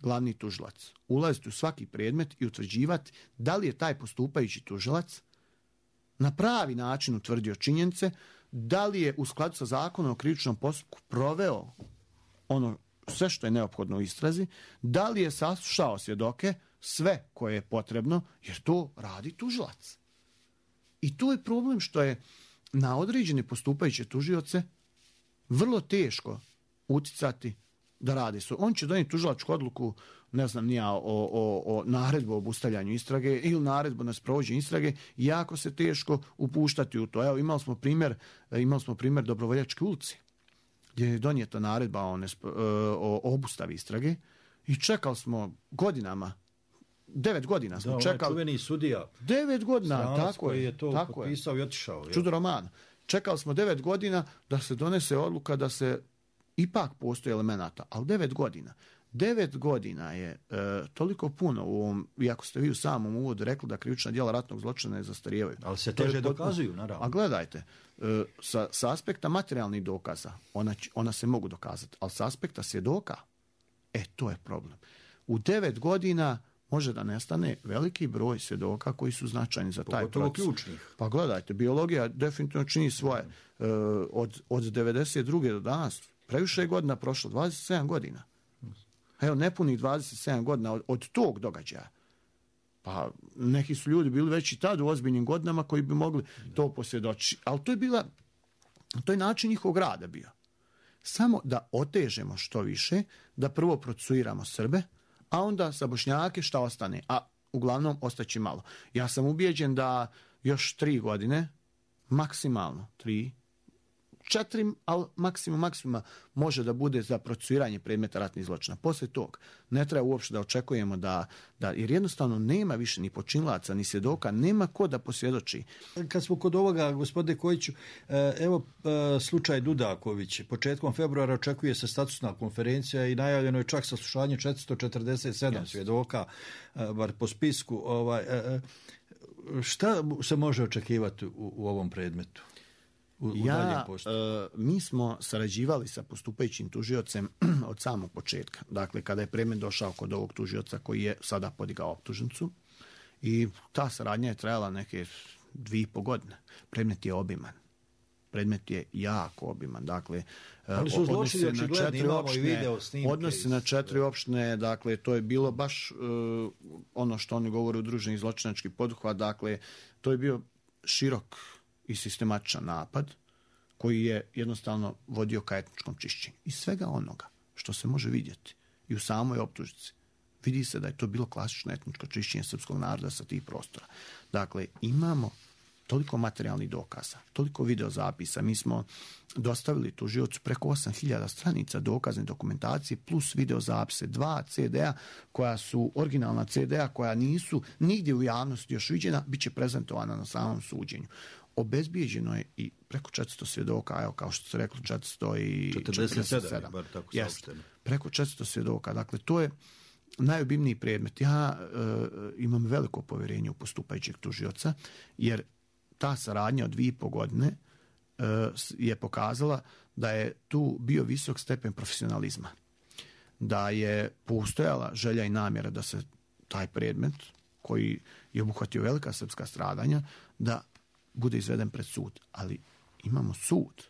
glavni tužilac ulaziti u svaki predmet i utvrđivati da li je taj postupajući tužilac na pravi način utvrdio činjenice, da li je u skladu sa zakonom o krivičnom postupku proveo ono sve što je neophodno u istrazi, da li je saslušao svjedoke, sve koje je potrebno, jer to radi tužilac. I to je problem što je na određene postupajuće tužioce vrlo teško uticati da radi su. On će donijeti tužilačku odluku, ne znam nija, o, o, o naredbu o obustavljanju istrage ili naredbu na sprovođenje istrage, jako se teško upuštati u to. Evo, imali smo primjer, imali smo primjer Dobrovoljačke ulici, gdje je donijeta naredba o, nesp, o obustavi istrage i čekali smo godinama, devet godina smo da, čekali. Da, čuveni sudija. Devet godina, tako je. je to tako potpisao je. i otišao. Čudo roman. Čekali smo devet godina da se donese odluka da se ipak postoji elemenata, ali devet godina. Devet godina je e, toliko puno u ovom, iako ste vi u samom uvodu rekli da krivična djela ratnog zločina ne zastarijevaju. Ali se teže dokazuju, naravno. A gledajte, e, sa, sa aspekta materijalnih dokaza, ona, ona se mogu dokazati, ali sa aspekta svjedoka, e, to je problem. U devet godina može da nestane veliki broj svjedoka koji su značajni za taj pogotovo proces. Ključnih. Pa gledajte, biologija definitivno čini svoje. E, od, od devedeset druge do danas, previše je godina prošlo, dvadeset sedam godina. Evo, nepunih dvadeset sedam godina od, od tog događaja. Pa neki su ljudi bili već i tad u ozbiljnim godinama koji bi mogli to posvjedočiti. Ali to je bila, to je način njihovog rada bio. Samo da otežemo što više, da prvo procesuiramo Srbe, a onda sa Bošnjake šta ostane. A uglavnom ostaće malo. Ja sam ubijeđen da još tri godine, maksimalno tri, četiri, ali maksimum maksimuma može da bude za procesuiranje predmeta ratnih zločina. Poslije tog ne treba uopšte da očekujemo da, da jer jednostavno nema više ni počinilaca, ni svjedoka, nema ko da posvjedoči. Kad smo kod ovoga, gospodine Kojiću, evo slučaj Dudaković. Početkom februara očekuje se statusna konferencija i najavljeno je čak saslušanje četiristo četrdeset sedam yes. svjedoka, bar po spisku. Ovaj, šta se može očekivati u, u ovom predmetu? U, u ja, e, mi smo sarađivali sa postupajućim tužiocem od samog početka. Dakle, kada je predmet došao kod ovog tužioca koji je sada podigao optužnicu i ta saradnja je trajala neke dvije i po godine. Predmet je obiman. Predmet je jako obiman. Dakle, ali su zločini očigledni, imamo i video snimke. Odnosi na četiri opštine, dakle, to je bilo baš uh, ono što oni govore udruženi zločinački poduhvat. Dakle, to je bio širok i sistematičan napad koji je jednostavno vodio ka etničkom čišćenju. I svega onoga što se može vidjeti i u samoj optužnici, vidi se da je to bilo klasično etničko čišćenje srpskog naroda sa tih prostora. Dakle, imamo toliko materijalnih dokaza, toliko videozapisa. Mi smo dostavili tužiocu preko osam hiljada stranica dokazne dokumentacije plus videozapise, dva ce de a koja su originalna ce de a koja nisu nigdje u javnosti još viđena, bit će prezentovana na samom suđenju. Obezbijeđeno je i preko četiristo svjedoka, evo kao što ste rekli, četiristo četrdeset sedam. Bar tako yes, preko četiristo svjedoka. Dakle, to je najobimniji predmet. Ja e, imam veliko povjerenje u postupajućeg tužioca, jer ta saradnja od dvije i po godine je pokazala da je tu bio visok stepen profesionalizma. Da je postojala želja i namjera da se taj predmet, koji je obuhvatio velika srpska stradanja, da bude izveden pred sud. Ali imamo sud.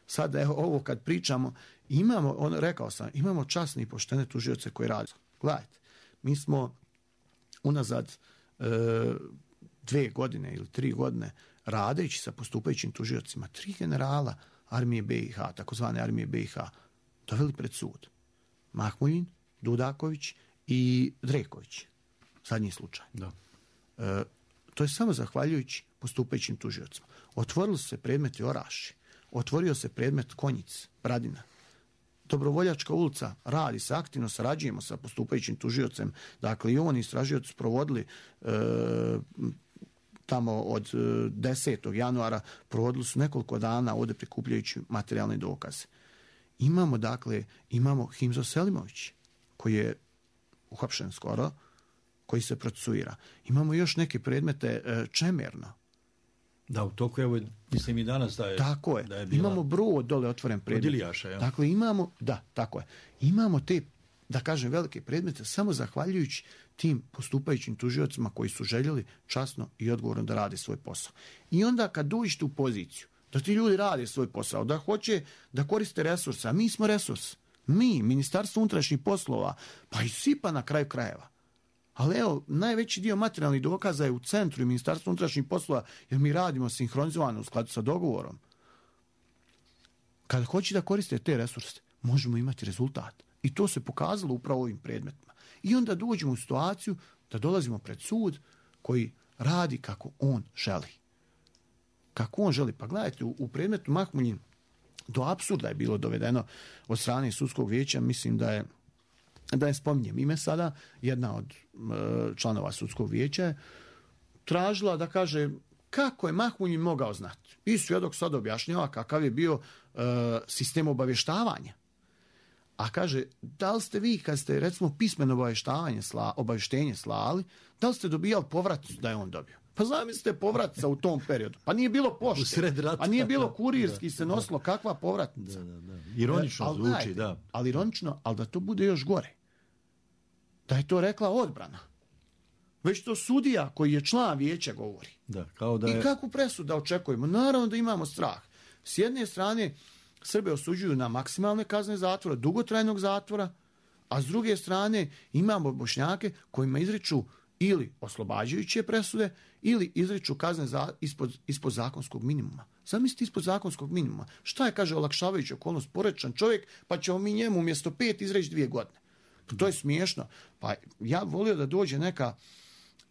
Sad, evo, ovo kad pričamo, imamo, on, rekao sam, imamo časne i poštene tužioce koji rade. Gledajte, mi smo unazad e, dve godine ili tri godine radeći sa postupajućim tužiocima, tri generala armije B i H, takozvane armije B i H, doveli pred sud. Mahmuljin, Dudaković i Dreković. Zadnji slučaj. Da. E, to je samo zahvaljujući postupajućim tužiocima. Otvorili su se predmeti Oraši, otvorio se predmet Konjic, Bradina. Dobrovoljačka ulica radi se, aktivno sarađujemo sa postupajućim tužiocem. Dakle, i on istražioci provodili e, tamo od desetog januara, provodili su nekoliko dana ovdje prikupljajući materijalne dokaze. Imamo, dakle, imamo Himzo Selimović, koji je uhapšen skoro, koji se procesuira. Imamo još neke predmete e, Čemerno. Da, u toku, evo, mislim i danas da je... Tako je. Da je bila... Imamo Brod dole otvoren predmet. Od Ilijaša, ja. Dakle, imamo, da, tako je. Imamo te, da kažem, velike predmete samo zahvaljujući tim postupajućim tužiocima koji su željeli časno i odgovorno da rade svoj posao. I onda kad dođete u poziciju da ti ljudi rade svoj posao, da hoće da koriste resurse, a mi smo resurs. Mi, Ministarstvo unutrašnjih poslova, pa i SIPA na kraju krajeva. Ali evo, najveći dio materijalnih dokaza je u centru i Ministarstvu unutrašnjih poslova, jer mi radimo sinhronizovano u skladu sa dogovorom. Kada hoće da koriste te resurse, možemo imati rezultat. I to se pokazalo upravo ovim predmetima. I onda dođemo u situaciju da dolazimo pred sud koji radi kako on želi. Kako on želi. Pa gledajte, u, u predmetu Mahmuljin do apsurda je bilo dovedeno od strane sudskog vijeća, mislim da je da ne spominjem ime sada, jedna od e, članova sudskog vijeća je tražila da kaže kako je Mahmuljin mogao znati. I svjedok sad objašnjava kakav je bio e, sistem obavještavanja. A kaže, da li ste vi kad ste recimo pismeno obavještavanje sla, obavještenje slali, da li ste dobijali povrat da je on dobio? Pa zamislite povratca u tom periodu. Pa nije bilo pošte. A nije bilo kurirski da, se nosilo da, kakva povratnica. Da, da, da. Ironično ali, zvuči, dajte, da. Ali ironično, ali da to bude još gore. Da je to rekla odbrana. Već to sudija koji je član vijeća govori. Da, kao da je... I kakvu presudu da očekujemo? Naravno da imamo strah. S jedne strane, Srbe osuđuju na maksimalne kazne zatvora, dugotrajnog zatvora, a s druge strane imamo Bošnjake kojima izriču ili oslobađajuće presude ili izriču kazne za, ispod, ispod zakonskog minimuma. Zamislite ispod zakonskog minimuma. Šta je, kaže, olakšavajuća okolnost, porečan čovjek, pa ćemo mi njemu umjesto pet izreći dvije godine. Pa to je smiješno. Pa ja volio da dođe neka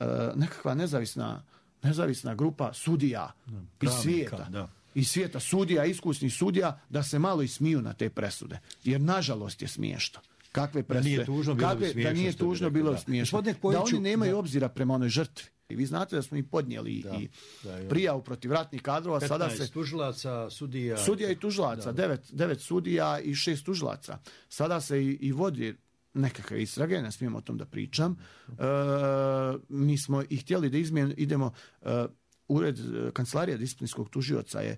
uh, nekakva nezavisna, nezavisna grupa sudija da, iz svijeta. Da. Iz svijeta sudija, iskusnih sudija, da se malo ismiju na te presude. Jer nažalost je smiješno. Kakve presude, da nije tužno bilo, kakve, smiješno, da nije tužno bilo da. smiješno. Da, da oni nemaju da. obzira prema onoj žrtvi. I vi znate da smo i podnijeli da, i da, prijavu protiv ratnih kadrova. Sada se tužilaca, sudija... Sudija i tužilaca, devet, devet sudija i šest tužilaca. Sada se i, i vodi nekakve istrage, ne smijem o tom da pričam. E, mi smo i htjeli da izmijen, idemo, e, ured kancelarija disciplinskog tužioca je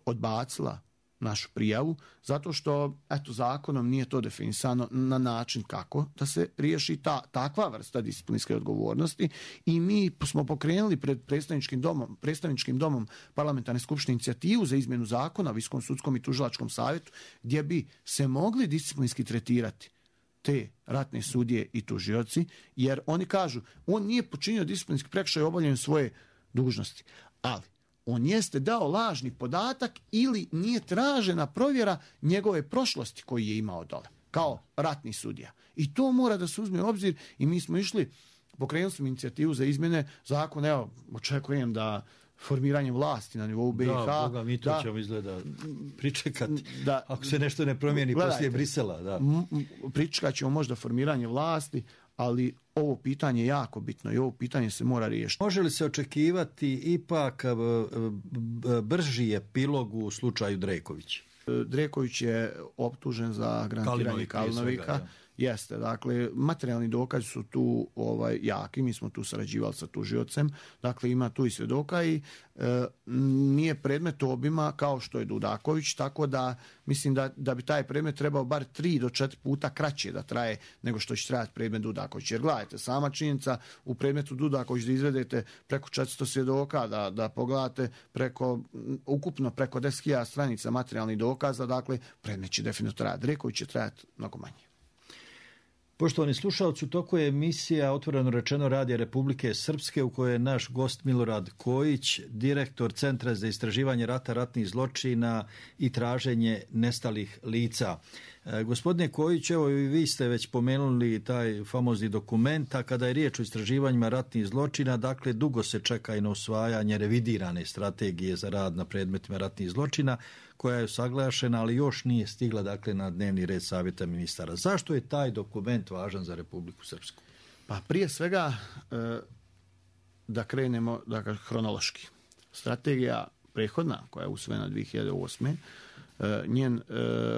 odbacila našu prijavu, zato što eto, zakonom nije to definisano na način kako da se riješi ta, takva vrsta disciplinske odgovornosti i mi smo pokrenuli pred predstavničkim domom, predstavničkim domom parlamentarne skupštine inicijativu za izmjenu zakona o Visokom sudskom i tužilačkom savjetu gdje bi se mogli disciplinski tretirati te ratne sudije i tužioci, jer oni kažu, on nije počinio disciplinski prekršaj obavljanjem svoje dužnosti, ali on jeste dao lažni podatak ili nije tražena provjera njegove prošlosti koji je imao dole, kao ratni sudija. I to mora da se uzme u obzir i mi smo išli, pokrenuli smo inicijativu za izmjene zakona, evo, očekujem da formiranje vlasti na nivou B i H... Da, Boga, mi to da, ćemo izgleda pričekati, da, ako se nešto ne promijeni gledajte, poslije Brisela. Da. Pričekat ćemo možda formiranje vlasti, ali ovo pitanje je jako bitno i ovo pitanje se mora riješiti. Može li se očekivati ipak brži epilog u slučaju Dreković? Dreković je optužen za granatiranje Kalinovika Jeste, dakle, materijalni dokazi su tu ovaj, jaki, mi smo tu sarađivali sa tužiocem, dakle ima tu i svjedoka i e, nije predmet obima kao što je Dudaković, tako da mislim da, da bi taj predmet trebao bar tri do četiri puta kraće da traje nego što će trajati predmet Dudaković. Jer gledajte, sama činjenica u predmetu Dudaković da izvedete preko četiristo svjedoka, da, da pogledate preko, ukupno preko deset hiljada stranica materijalnih dokaza, dakle predmet će definitivno trajati. Reković će trajati mnogo manje. Poštovani slušalci, u toku je emisija Otvoreno rečeno Radija Republike Srpske u kojoj je naš gost Milorad Kojić, direktor Centra za istraživanje rata, ratnih zločina i traženje nestalih lica. E, gospodine Kojić, evo i vi ste već pomenuli taj famozni dokument, a kada je riječ o istraživanjima ratnih zločina, dakle dugo se čeka i na usvajanje revidirane strategije za rad na predmetima ratnih zločina, koja je usaglašena, ali još nije stigla dakle na dnevni red Savjeta ministara. Zašto je taj dokument važan za Republiku Srpsku? Pa prije svega da krenemo dakle, hronološki. Strategija prethodna koja je usvojena dvije hiljade osme. njen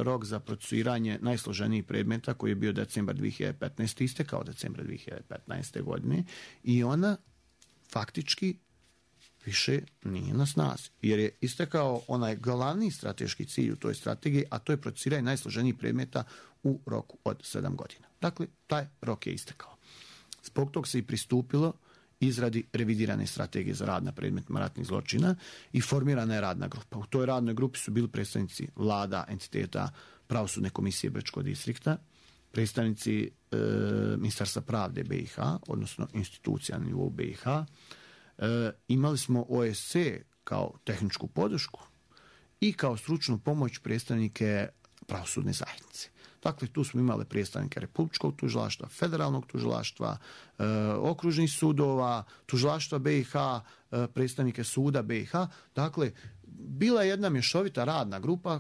rok za procesuiranje najsloženijih predmeta koji je bio decembar dvije hiljade petnaeste. istekao decembra dvije hiljade petnaeste. godine i ona faktički više nije na snazi, jer je istekao onaj glavni strateški cilj u toj strategiji, a to je procesuiranje najsloženijih predmeta u roku od sedam godina. Dakle, taj rok je istekao. Zbog tog se i pristupilo izradi revidirane strategije za rad na predmetima ratnih zločina i formirana je radna grupa. U toj radnoj grupi su bili predstavnici vlada, entiteta, pravosudne komisije Brčkog distrikta, predstavnici e, Ministarstva pravde B i H, odnosno institucija na nivou B i H. E, imali smo O S C kao tehničku podršku i kao stručnu pomoć predstavnike pravosudne zajednice. Dakle, tu smo imali predstavnike Republičkog tužilaštva, Federalnog tužilaštva, e, okružnih sudova, tužilaštva B i H, e, predstavnike suda B i H. Dakle, bila je jedna mješovita radna grupa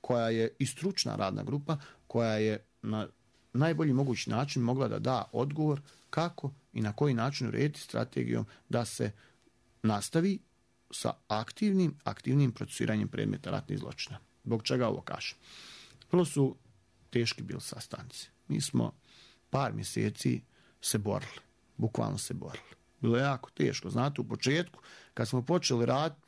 koja je i stručna radna grupa koja je na najbolji mogući način mogla da da odgovor kako i na koji način urediti strategijom da se nastavi sa aktivnim, aktivnim procesuiranjem predmeta ratnih zločina. Zbog čega ovo kažem? Prvo su teški bili sastanci. Mi smo par mjeseci se borili, bukvalno se borili. Bilo je jako teško. Znate, u početku, kad smo počeli raditi,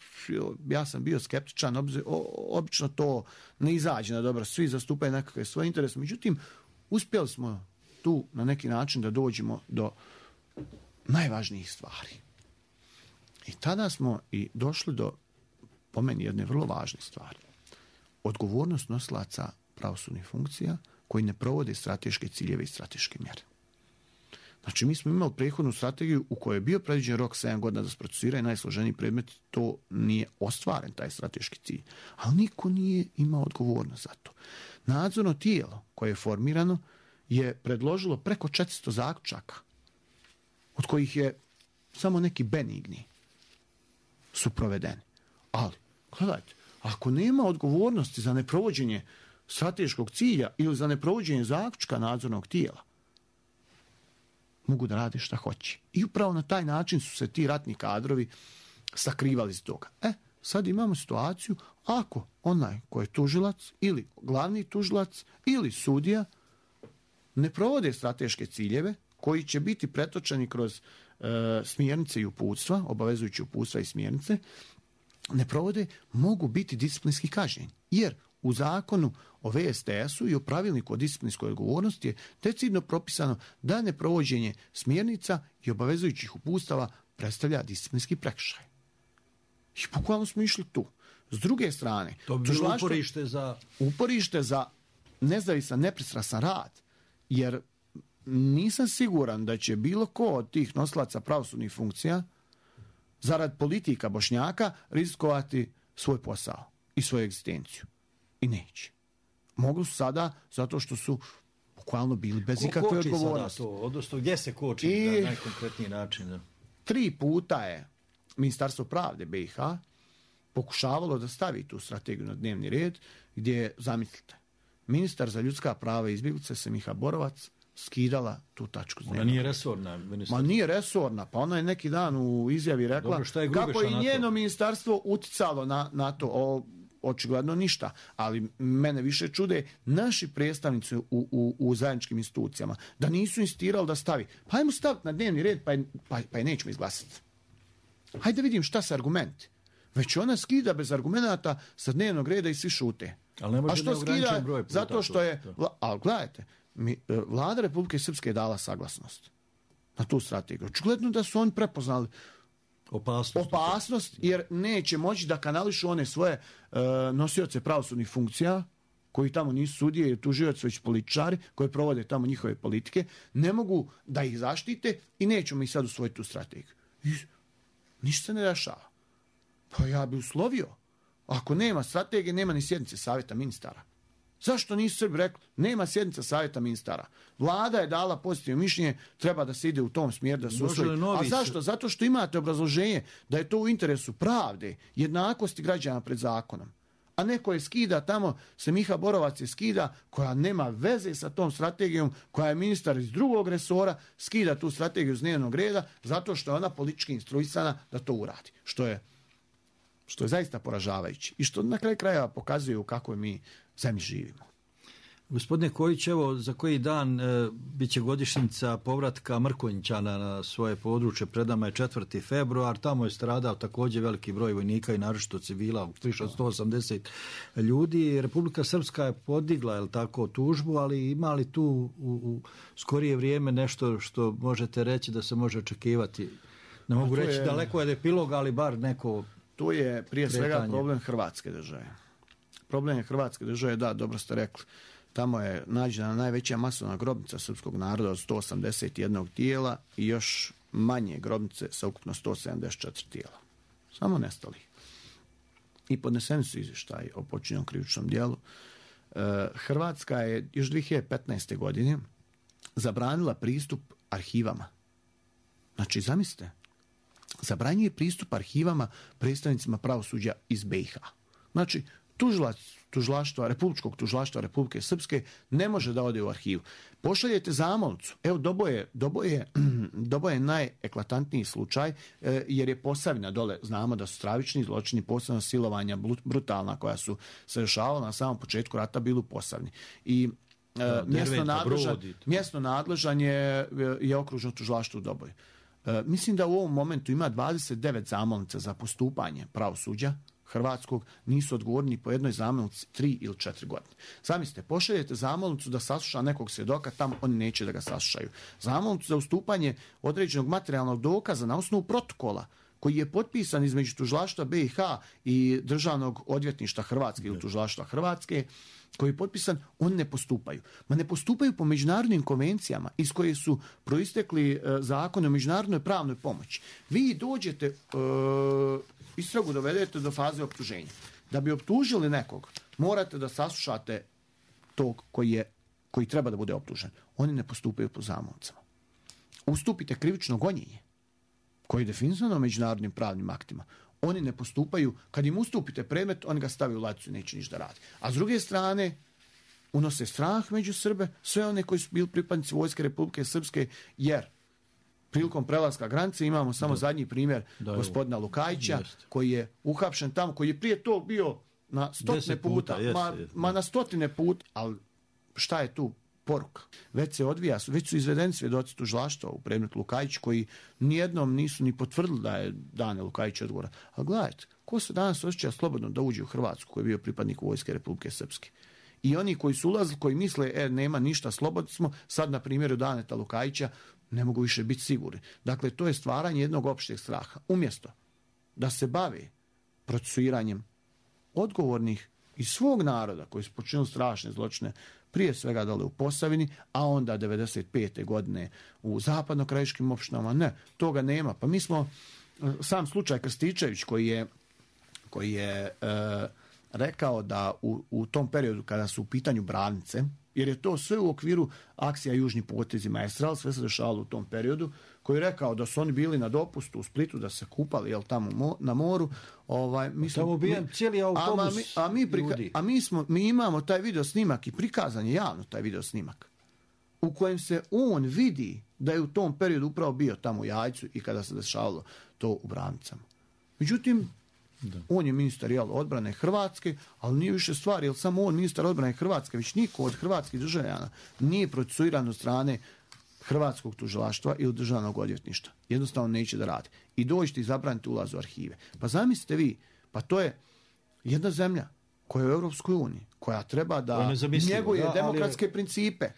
ja sam bio skeptičan, obzir, o, obično to ne izađe na dobro, svi zastupaju nekakve svoje interese. Međutim, uspjeli smo tu na neki način da dođemo do najvažnijih stvari. I tada smo i došli do, po meni, jedne vrlo važne stvari. Odgovornost nosilaca pravosudnih funkcija koji ne provode strateške ciljeve i strateške mjere. Znači, mi smo imali prethodnu strategiju u kojoj je bio predviđen rok sedam godina da se procesuira najsloženiji predmet, to nije ostvaren, taj strateški cilj. Ali niko nije imao odgovornost za to. Nadzorno tijelo koje je formirano je predložilo preko četiristo zaključaka, od kojih je samo neki benigni su provedeni. Ali, gledajte, ako nema odgovornosti za neprovođenje strateškog cilja ili za neprovođenje zaključka nadzornog tijela, mogu da rade šta hoće. I upravo na taj način su se ti ratni kadrovi sakrivali iz toga. E, sad imamo situaciju, ako onaj koji je tužilac ili glavni tužilac ili sudija ne provode strateške ciljeve koji će biti pretočeni kroz e, smjernice i uputstva, obavezujući uputstva i smjernice, ne provode, mogu biti disciplinski kažnjeni. Jer u zakonu o V S T S-u i o pravilniku o disciplinskoj odgovornosti je decidno propisano da neprovođenje smjernica i obavezujućih uputstava predstavlja disciplinski prekršaj. I bukvalno smo išli tu. S druge strane, to bi bilo uporište za... uporište za nezavisan, nepristrasan rad, jer nisam siguran da će bilo ko od tih nosilaca pravosudnih funkcija zarad politika Bošnjaka rizikovati svoj posao i svoju egzistenciju. I neće. Mogu su sada zato što su bukvalno bili bez ikakve odgovornosti. To, odnosno gdje se koči I na najkonkretniji način? Da? Tri puta je Ministarstvo pravde B i H pokušavalo da stavi tu strategiju na dnevni red, gdje je, zamislite, ministar za ljudska prava i izbjeglice Semiha Borovac skidala tu tačku. Ona nije resorna ministarstva. Ma nije resorna, pa ona je neki dan u izjavi rekla. Dobro, šta je kako je na njeno to? ministarstvo uticalo na, na to. O, očigledno ništa, ali mene više čude naši predstavnici u, u, u zajedničkim institucijama, da nisu insistirali da stavi. Pa ajmo staviti na dnevni red, pa je, pa, pa je nećemo izglasati. Hajde da vidim šta su argumenti. Već ona skida bez argumenata sa dnevnog reda i svi šute. Ali ne može A što da skida? Broj puta, zato što je... Vla, ali gledajte, mi, Vlada Republike Srpske je dala saglasnost na tu strategiju. Očigledno da su oni prepoznali opasnost, opasnost jer neće moći da kanališu one svoje uh, nosioce pravosudnih funkcija, koji tamo nisu sudije i tužioci, već političari koji provode tamo njihove politike, ne mogu da ih zaštite i nećemo ih sad usvojiti tu strategiju. I ništa se ne dešava. Pa ja bi uslovio. Ako nema strategije, nema ni sjednice savjeta ministara. Zašto nisu Srbi rekli? Nema sjednica savjeta ministara. Vlada je dala pozitivno mišljenje, treba da se ide u tom smjeru da se usvoji. A zašto? Zato što imate obrazloženje da je to u interesu pravde, jednakosti građana pred zakonom. A neko je skida tamo, se Miha Borovac je skida, koja nema veze sa tom strategijom, koja je ministar iz drugog resora, skida tu strategiju iz dnevnog reda, zato što je ona politički instruisana da to uradi. Što je, što je zaista poražavajuće. I što na kraju krajeva pokazuje u kakvoj mi zemlji živimo. Gospodine Kojić, evo za koji dan e, bit će godišnjica povratka Mrkonjićana na svoje područje, pred nama je četvrti februar, tamo je stradao također veliki broj vojnika i naročito civila, više od sto osamdeset ljudi. Republika Srpska je podigla, je li tako, tužbu, ali ima li tu u, u skorije vrijeme nešto što možete reći da se može očekivati? Ne mogu reći je, daleko je epilog, ali bar neko tu je prije kretanje. Svega problem Hrvatske države. Problem je Hrvatske države, da, dobro ste rekli. Tamo je nađena najveća masovna grobnica srpskog naroda od sto osamdeset jedan tijela i još manje grobnice sa ukupno sto sedamdeset četiri tijela. Samo nestali. I podneseni su izvještaji o počinjenom krivičnom djelu. E, Hrvatska je još dvije hiljade petnaeste. godine zabranila pristup arhivama. Znači, zamislite, zabranjuje pristup arhivama predstavnicima pravosuđa iz be i ha. Znači, tužilac tužilaštva, Republičkog tužilaštva Republike Srpske ne može da ode u arhivu. Pošaljete zamolnicu. Evo, Doboje, Doboje, Doboje je najeklatantniji slučaj, jer je Posavina dole, znamo da su stravični zločini, posebno silovanja brutalna koja su se rešavala na samom početku rata bili u Posavini. I da, mjesno, nadležan, mjesno nadležan je, je okružno tužilaštvo u Doboju. Mislim da u ovom momentu ima dvadeset devet zamolnica za postupanje pravosuđa hrvatskog, nisu odgovorni po jednoj zamolnici tri ili četiri godine. Zamislite, pošaljete zamolnicu da sasluša nekog svjedoka, tamo oni neće da ga saslušaju. Zamolnicu za ustupanje određenog materijalnog dokaza na osnovu protokola koji je potpisan između tužilaštva be i ha i Državnog odvjetništva Hrvatske ili tužilaštva Hrvatske, koji je potpisan, oni ne postupaju. Ma ne postupaju po međunarodnim konvencijama iz koje su proistekli e, zakone o međunarodnoj pravnoj pomoći. Vi dođete, e, istragu dovedete do faze optuženja. Da bi optužili nekog, morate da saslušate tog koji, je, koji treba da bude optužen. Oni ne postupaju po zamolnicama. Ustupite krivično gonjenje, koji je definisano međunarodnim pravnim aktima. Oni ne postupaju, kad im ustupite predmet, oni ga stavaju u ladicu i neće ništa raditi. A s druge strane, unose strah među Srbe, sve one koji su bili pripadnici Vojske Republike Srpske, jer prilikom prelaska granice imamo samo da. zadnji primjer da, gospodina Lukajića, jest. koji je uhapšen tamo, koji je prije tog bio na stotine puta, puta jest, ma, jest, ma na stotine puta, ali šta je tu poruka? Već se odvija, već su izvedeni svjedoci tužilaštva u predmetu Lukajić, koji nijednom nisu ni potvrdili da je Dane Lukajić odgovora. A gledajte, ko se danas osjeća slobodno da uđe u Hrvatsku, koji je bio pripadnik Vojske Republike Srpske? I oni koji su ulazili, koji misle, e, nema ništa, slobodni smo, sad na primjeru Daneta Lukajića ne mogu više biti sigurni. Dakle, to je stvaranje jednog opšteg straha. Umjesto da se bave procesuiranjem odgovornih iz svog naroda koji su počinili strašne zločine, prije svega dole u Posavini, a onda devedeset pete. godine u zapadnokrajiškim opštinama, ne, toga nema. Pa mi smo, sam slučaj Krstičević koji je, koji je e, rekao da u, u tom periodu kada su u pitanju branice, jer je to sve u okviru akcija Južni potezi Maestral, sve se dešavalo u tom periodu, koji je rekao da su oni bili na dopustu u Splitu, da se kupali, jel, tamo mo, na moru. Ovaj, mi smo, tamo bijen cijeli autobus mi, a, mi prika, a mi, smo, mi imamo taj video snimak i prikazan je javno taj video snimak, u kojem se on vidi da je u tom periodu upravo bio tamo u Jajcu i kada se dešavalo to u Branicama. Međutim, Da. On je ministar jel, odbrane Hrvatske, ali nije više stvar, jer samo on ministar odbrane Hrvatske, već niko od hrvatskih državljana nije procesuiran od strane hrvatskog tužilaštva ili državnog odvjetništva. Jednostavno neće da radi. I dođete i zabranite ulaz u arhive. Pa zamislite vi, pa to je jedna zemlja koja je u Europskoj uniji, koja treba da njeguje da, demokratske ali... principe.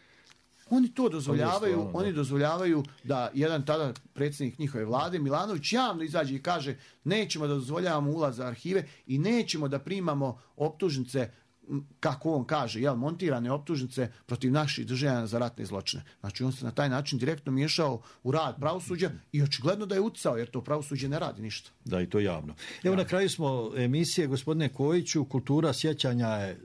Oni to dozvoljavaju, stvarno, oni dozvoljavaju da jedan tada predsjednik njihove vlade, Milanović, javno izađe i kaže nećemo da dozvoljavamo ulaz za arhive i nećemo da primamo optužnice, kako on kaže, jel, montirane optužnice protiv naših državljana za ratne zločine. Znači on se na taj način direktno miješao u rad pravosuđa i očigledno da je uticao, jer to pravosuđe ne radi ništa. Da, i to javno. Evo ja. Na kraju smo emisije, gospodine Kojiću, kultura sjećanja je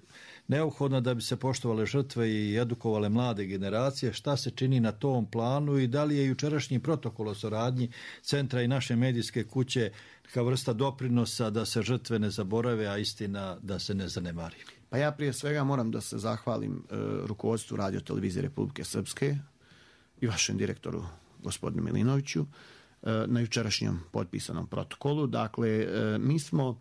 neophodna da bi se poštovale žrtve i edukovale mlade generacije. Šta se čini na tom planu i da li je jučerašnji protokol o suradnji centra i naše medijske kuće kao vrsta doprinosa da se žrtve ne zaborave, a istina da se ne zanemari? Pa ja prije svega moram da se zahvalim e, rukovodstvu Radio Televizije Republike Srpske i vašem direktoru gospodinu Milinoviću e, na jučerašnjem potpisanom protokolu. Dakle, e, mi smo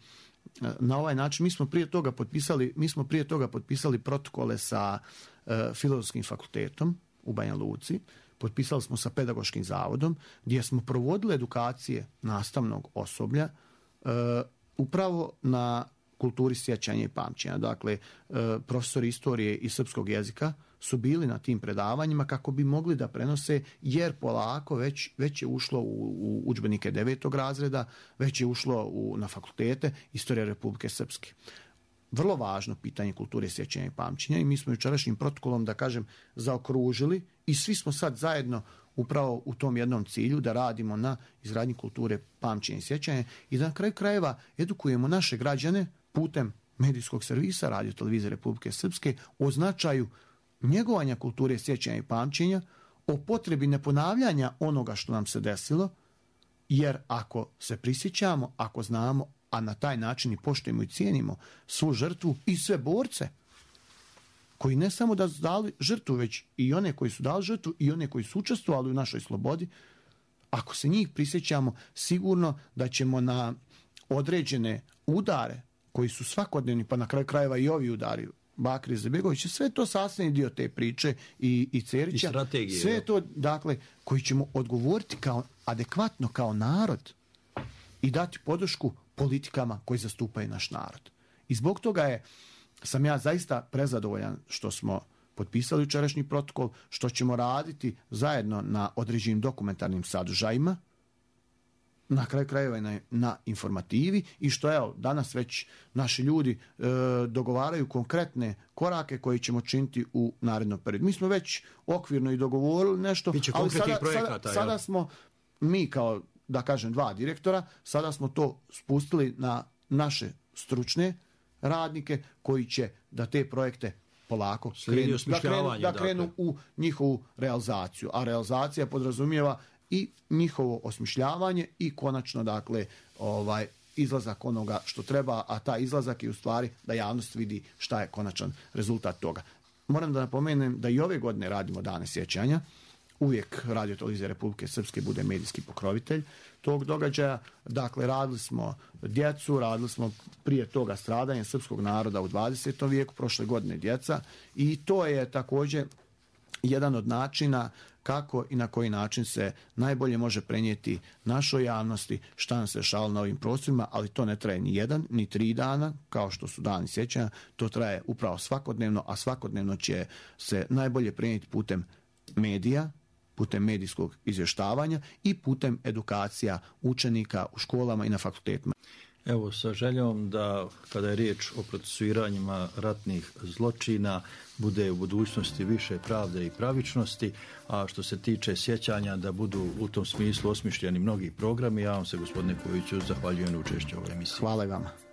na ovaj način, mi smo prije toga potpisali, mi smo prije toga potpisali protokole sa e, Filozofskim fakultetom u Banja Luci, potpisali smo sa Pedagoškim zavodom, gdje smo provodili edukacije nastavnog osoblja e, upravo na kulturi sjećanja i pamćenja. Dakle, e, profesori istorije i srpskog jezika su bili na tim predavanjima kako bi mogli da prenose, jer polako već, već je ušlo u, u udžbenike devetog razreda, već je ušlo u, na fakultete Istorija Republike Srpske. Vrlo važno pitanje kulture sjećanja i pamćenja i mi smo jučerašnjim protokolom, da kažem, zaokružili i svi smo sad zajedno upravo u tom jednom cilju da radimo na izgradnji kulture pamćenja i sjećanja i da na kraju krajeva edukujemo naše građane putem medijskog servisa Radio Televizije Republike Srpske o značaju njegovanja kulture sjećanja i pamćenja, o potrebi neponavljanja onoga što nam se desilo, jer ako se prisjećamo, ako znamo, a na taj način i poštujemo i cijenimo svu žrtvu i sve borce, koji ne samo da su dali žrtvu, već i one koji su dali žrtvu i one koji su učestvovali u našoj slobodi, ako se njih prisjećamo, sigurno da ćemo na određene udare koji su svakodnevni, pa na kraju krajeva i ovi udari Bakri Izetbegović, sve to sastavni dio te priče i, i Cerića, i sve to, dakle, koji ćemo odgovoriti kao adekvatno kao narod i dati podršku politikama koji zastupaju naš narod. I zbog toga je, sam ja zaista prezadovoljan što smo potpisali jučerašnji protokol, što ćemo raditi zajedno na određenim dokumentarnim sadržajima, na kraju krajeva na, na informativi i što evo danas već naši ljudi e, dogovaraju konkretne korake koje ćemo činiti u narednom periodu. Mi smo već okvirno i dogovorili nešto, ali sada, sada, sada smo mi kao, da kažem, dva direktora, sada smo to spustili na naše stručne radnike koji će da te projekte polako krenu, da krenu, da krenu dakle. u njihovu realizaciju. A realizacija podrazumijeva i njihovo osmišljavanje i konačno, dakle, ovaj izlazak onoga što treba, a ta izlazak je u stvari da javnost vidi šta je konačan rezultat toga. Moram da napomenem da i ove godine radimo Dane sjećanja. Uvijek Radio Televizija Republike Srpske bude medijski pokrovitelj tog događaja. Dakle, radili smo djecu, radili smo prije toga stradanje srpskog naroda u dvadesetom vijeku, prošle godine djeca, i to je također jedan od načina kako i na koji način se najbolje može prenijeti našoj javnosti šta nam se dešavalo na ovim prostorima, ali to ne traje ni jedan, ni tri dana, kao što su dani sjećanja, to traje upravo svakodnevno, a svakodnevno će se najbolje prenijeti putem medija, putem medijskog izvještavanja i putem edukacija učenika u školama i na fakultetima. Evo, sa željom da kada je riječ o procesuiranjima ratnih zločina bude u budućnosti više pravde i pravičnosti, a što se tiče sjećanja da budu u tom smislu osmišljeni mnogi programi. Ja vam se, gospodine Kojiću, zahvaljujem na učešću u ovoj emisiji. Hvala i vama.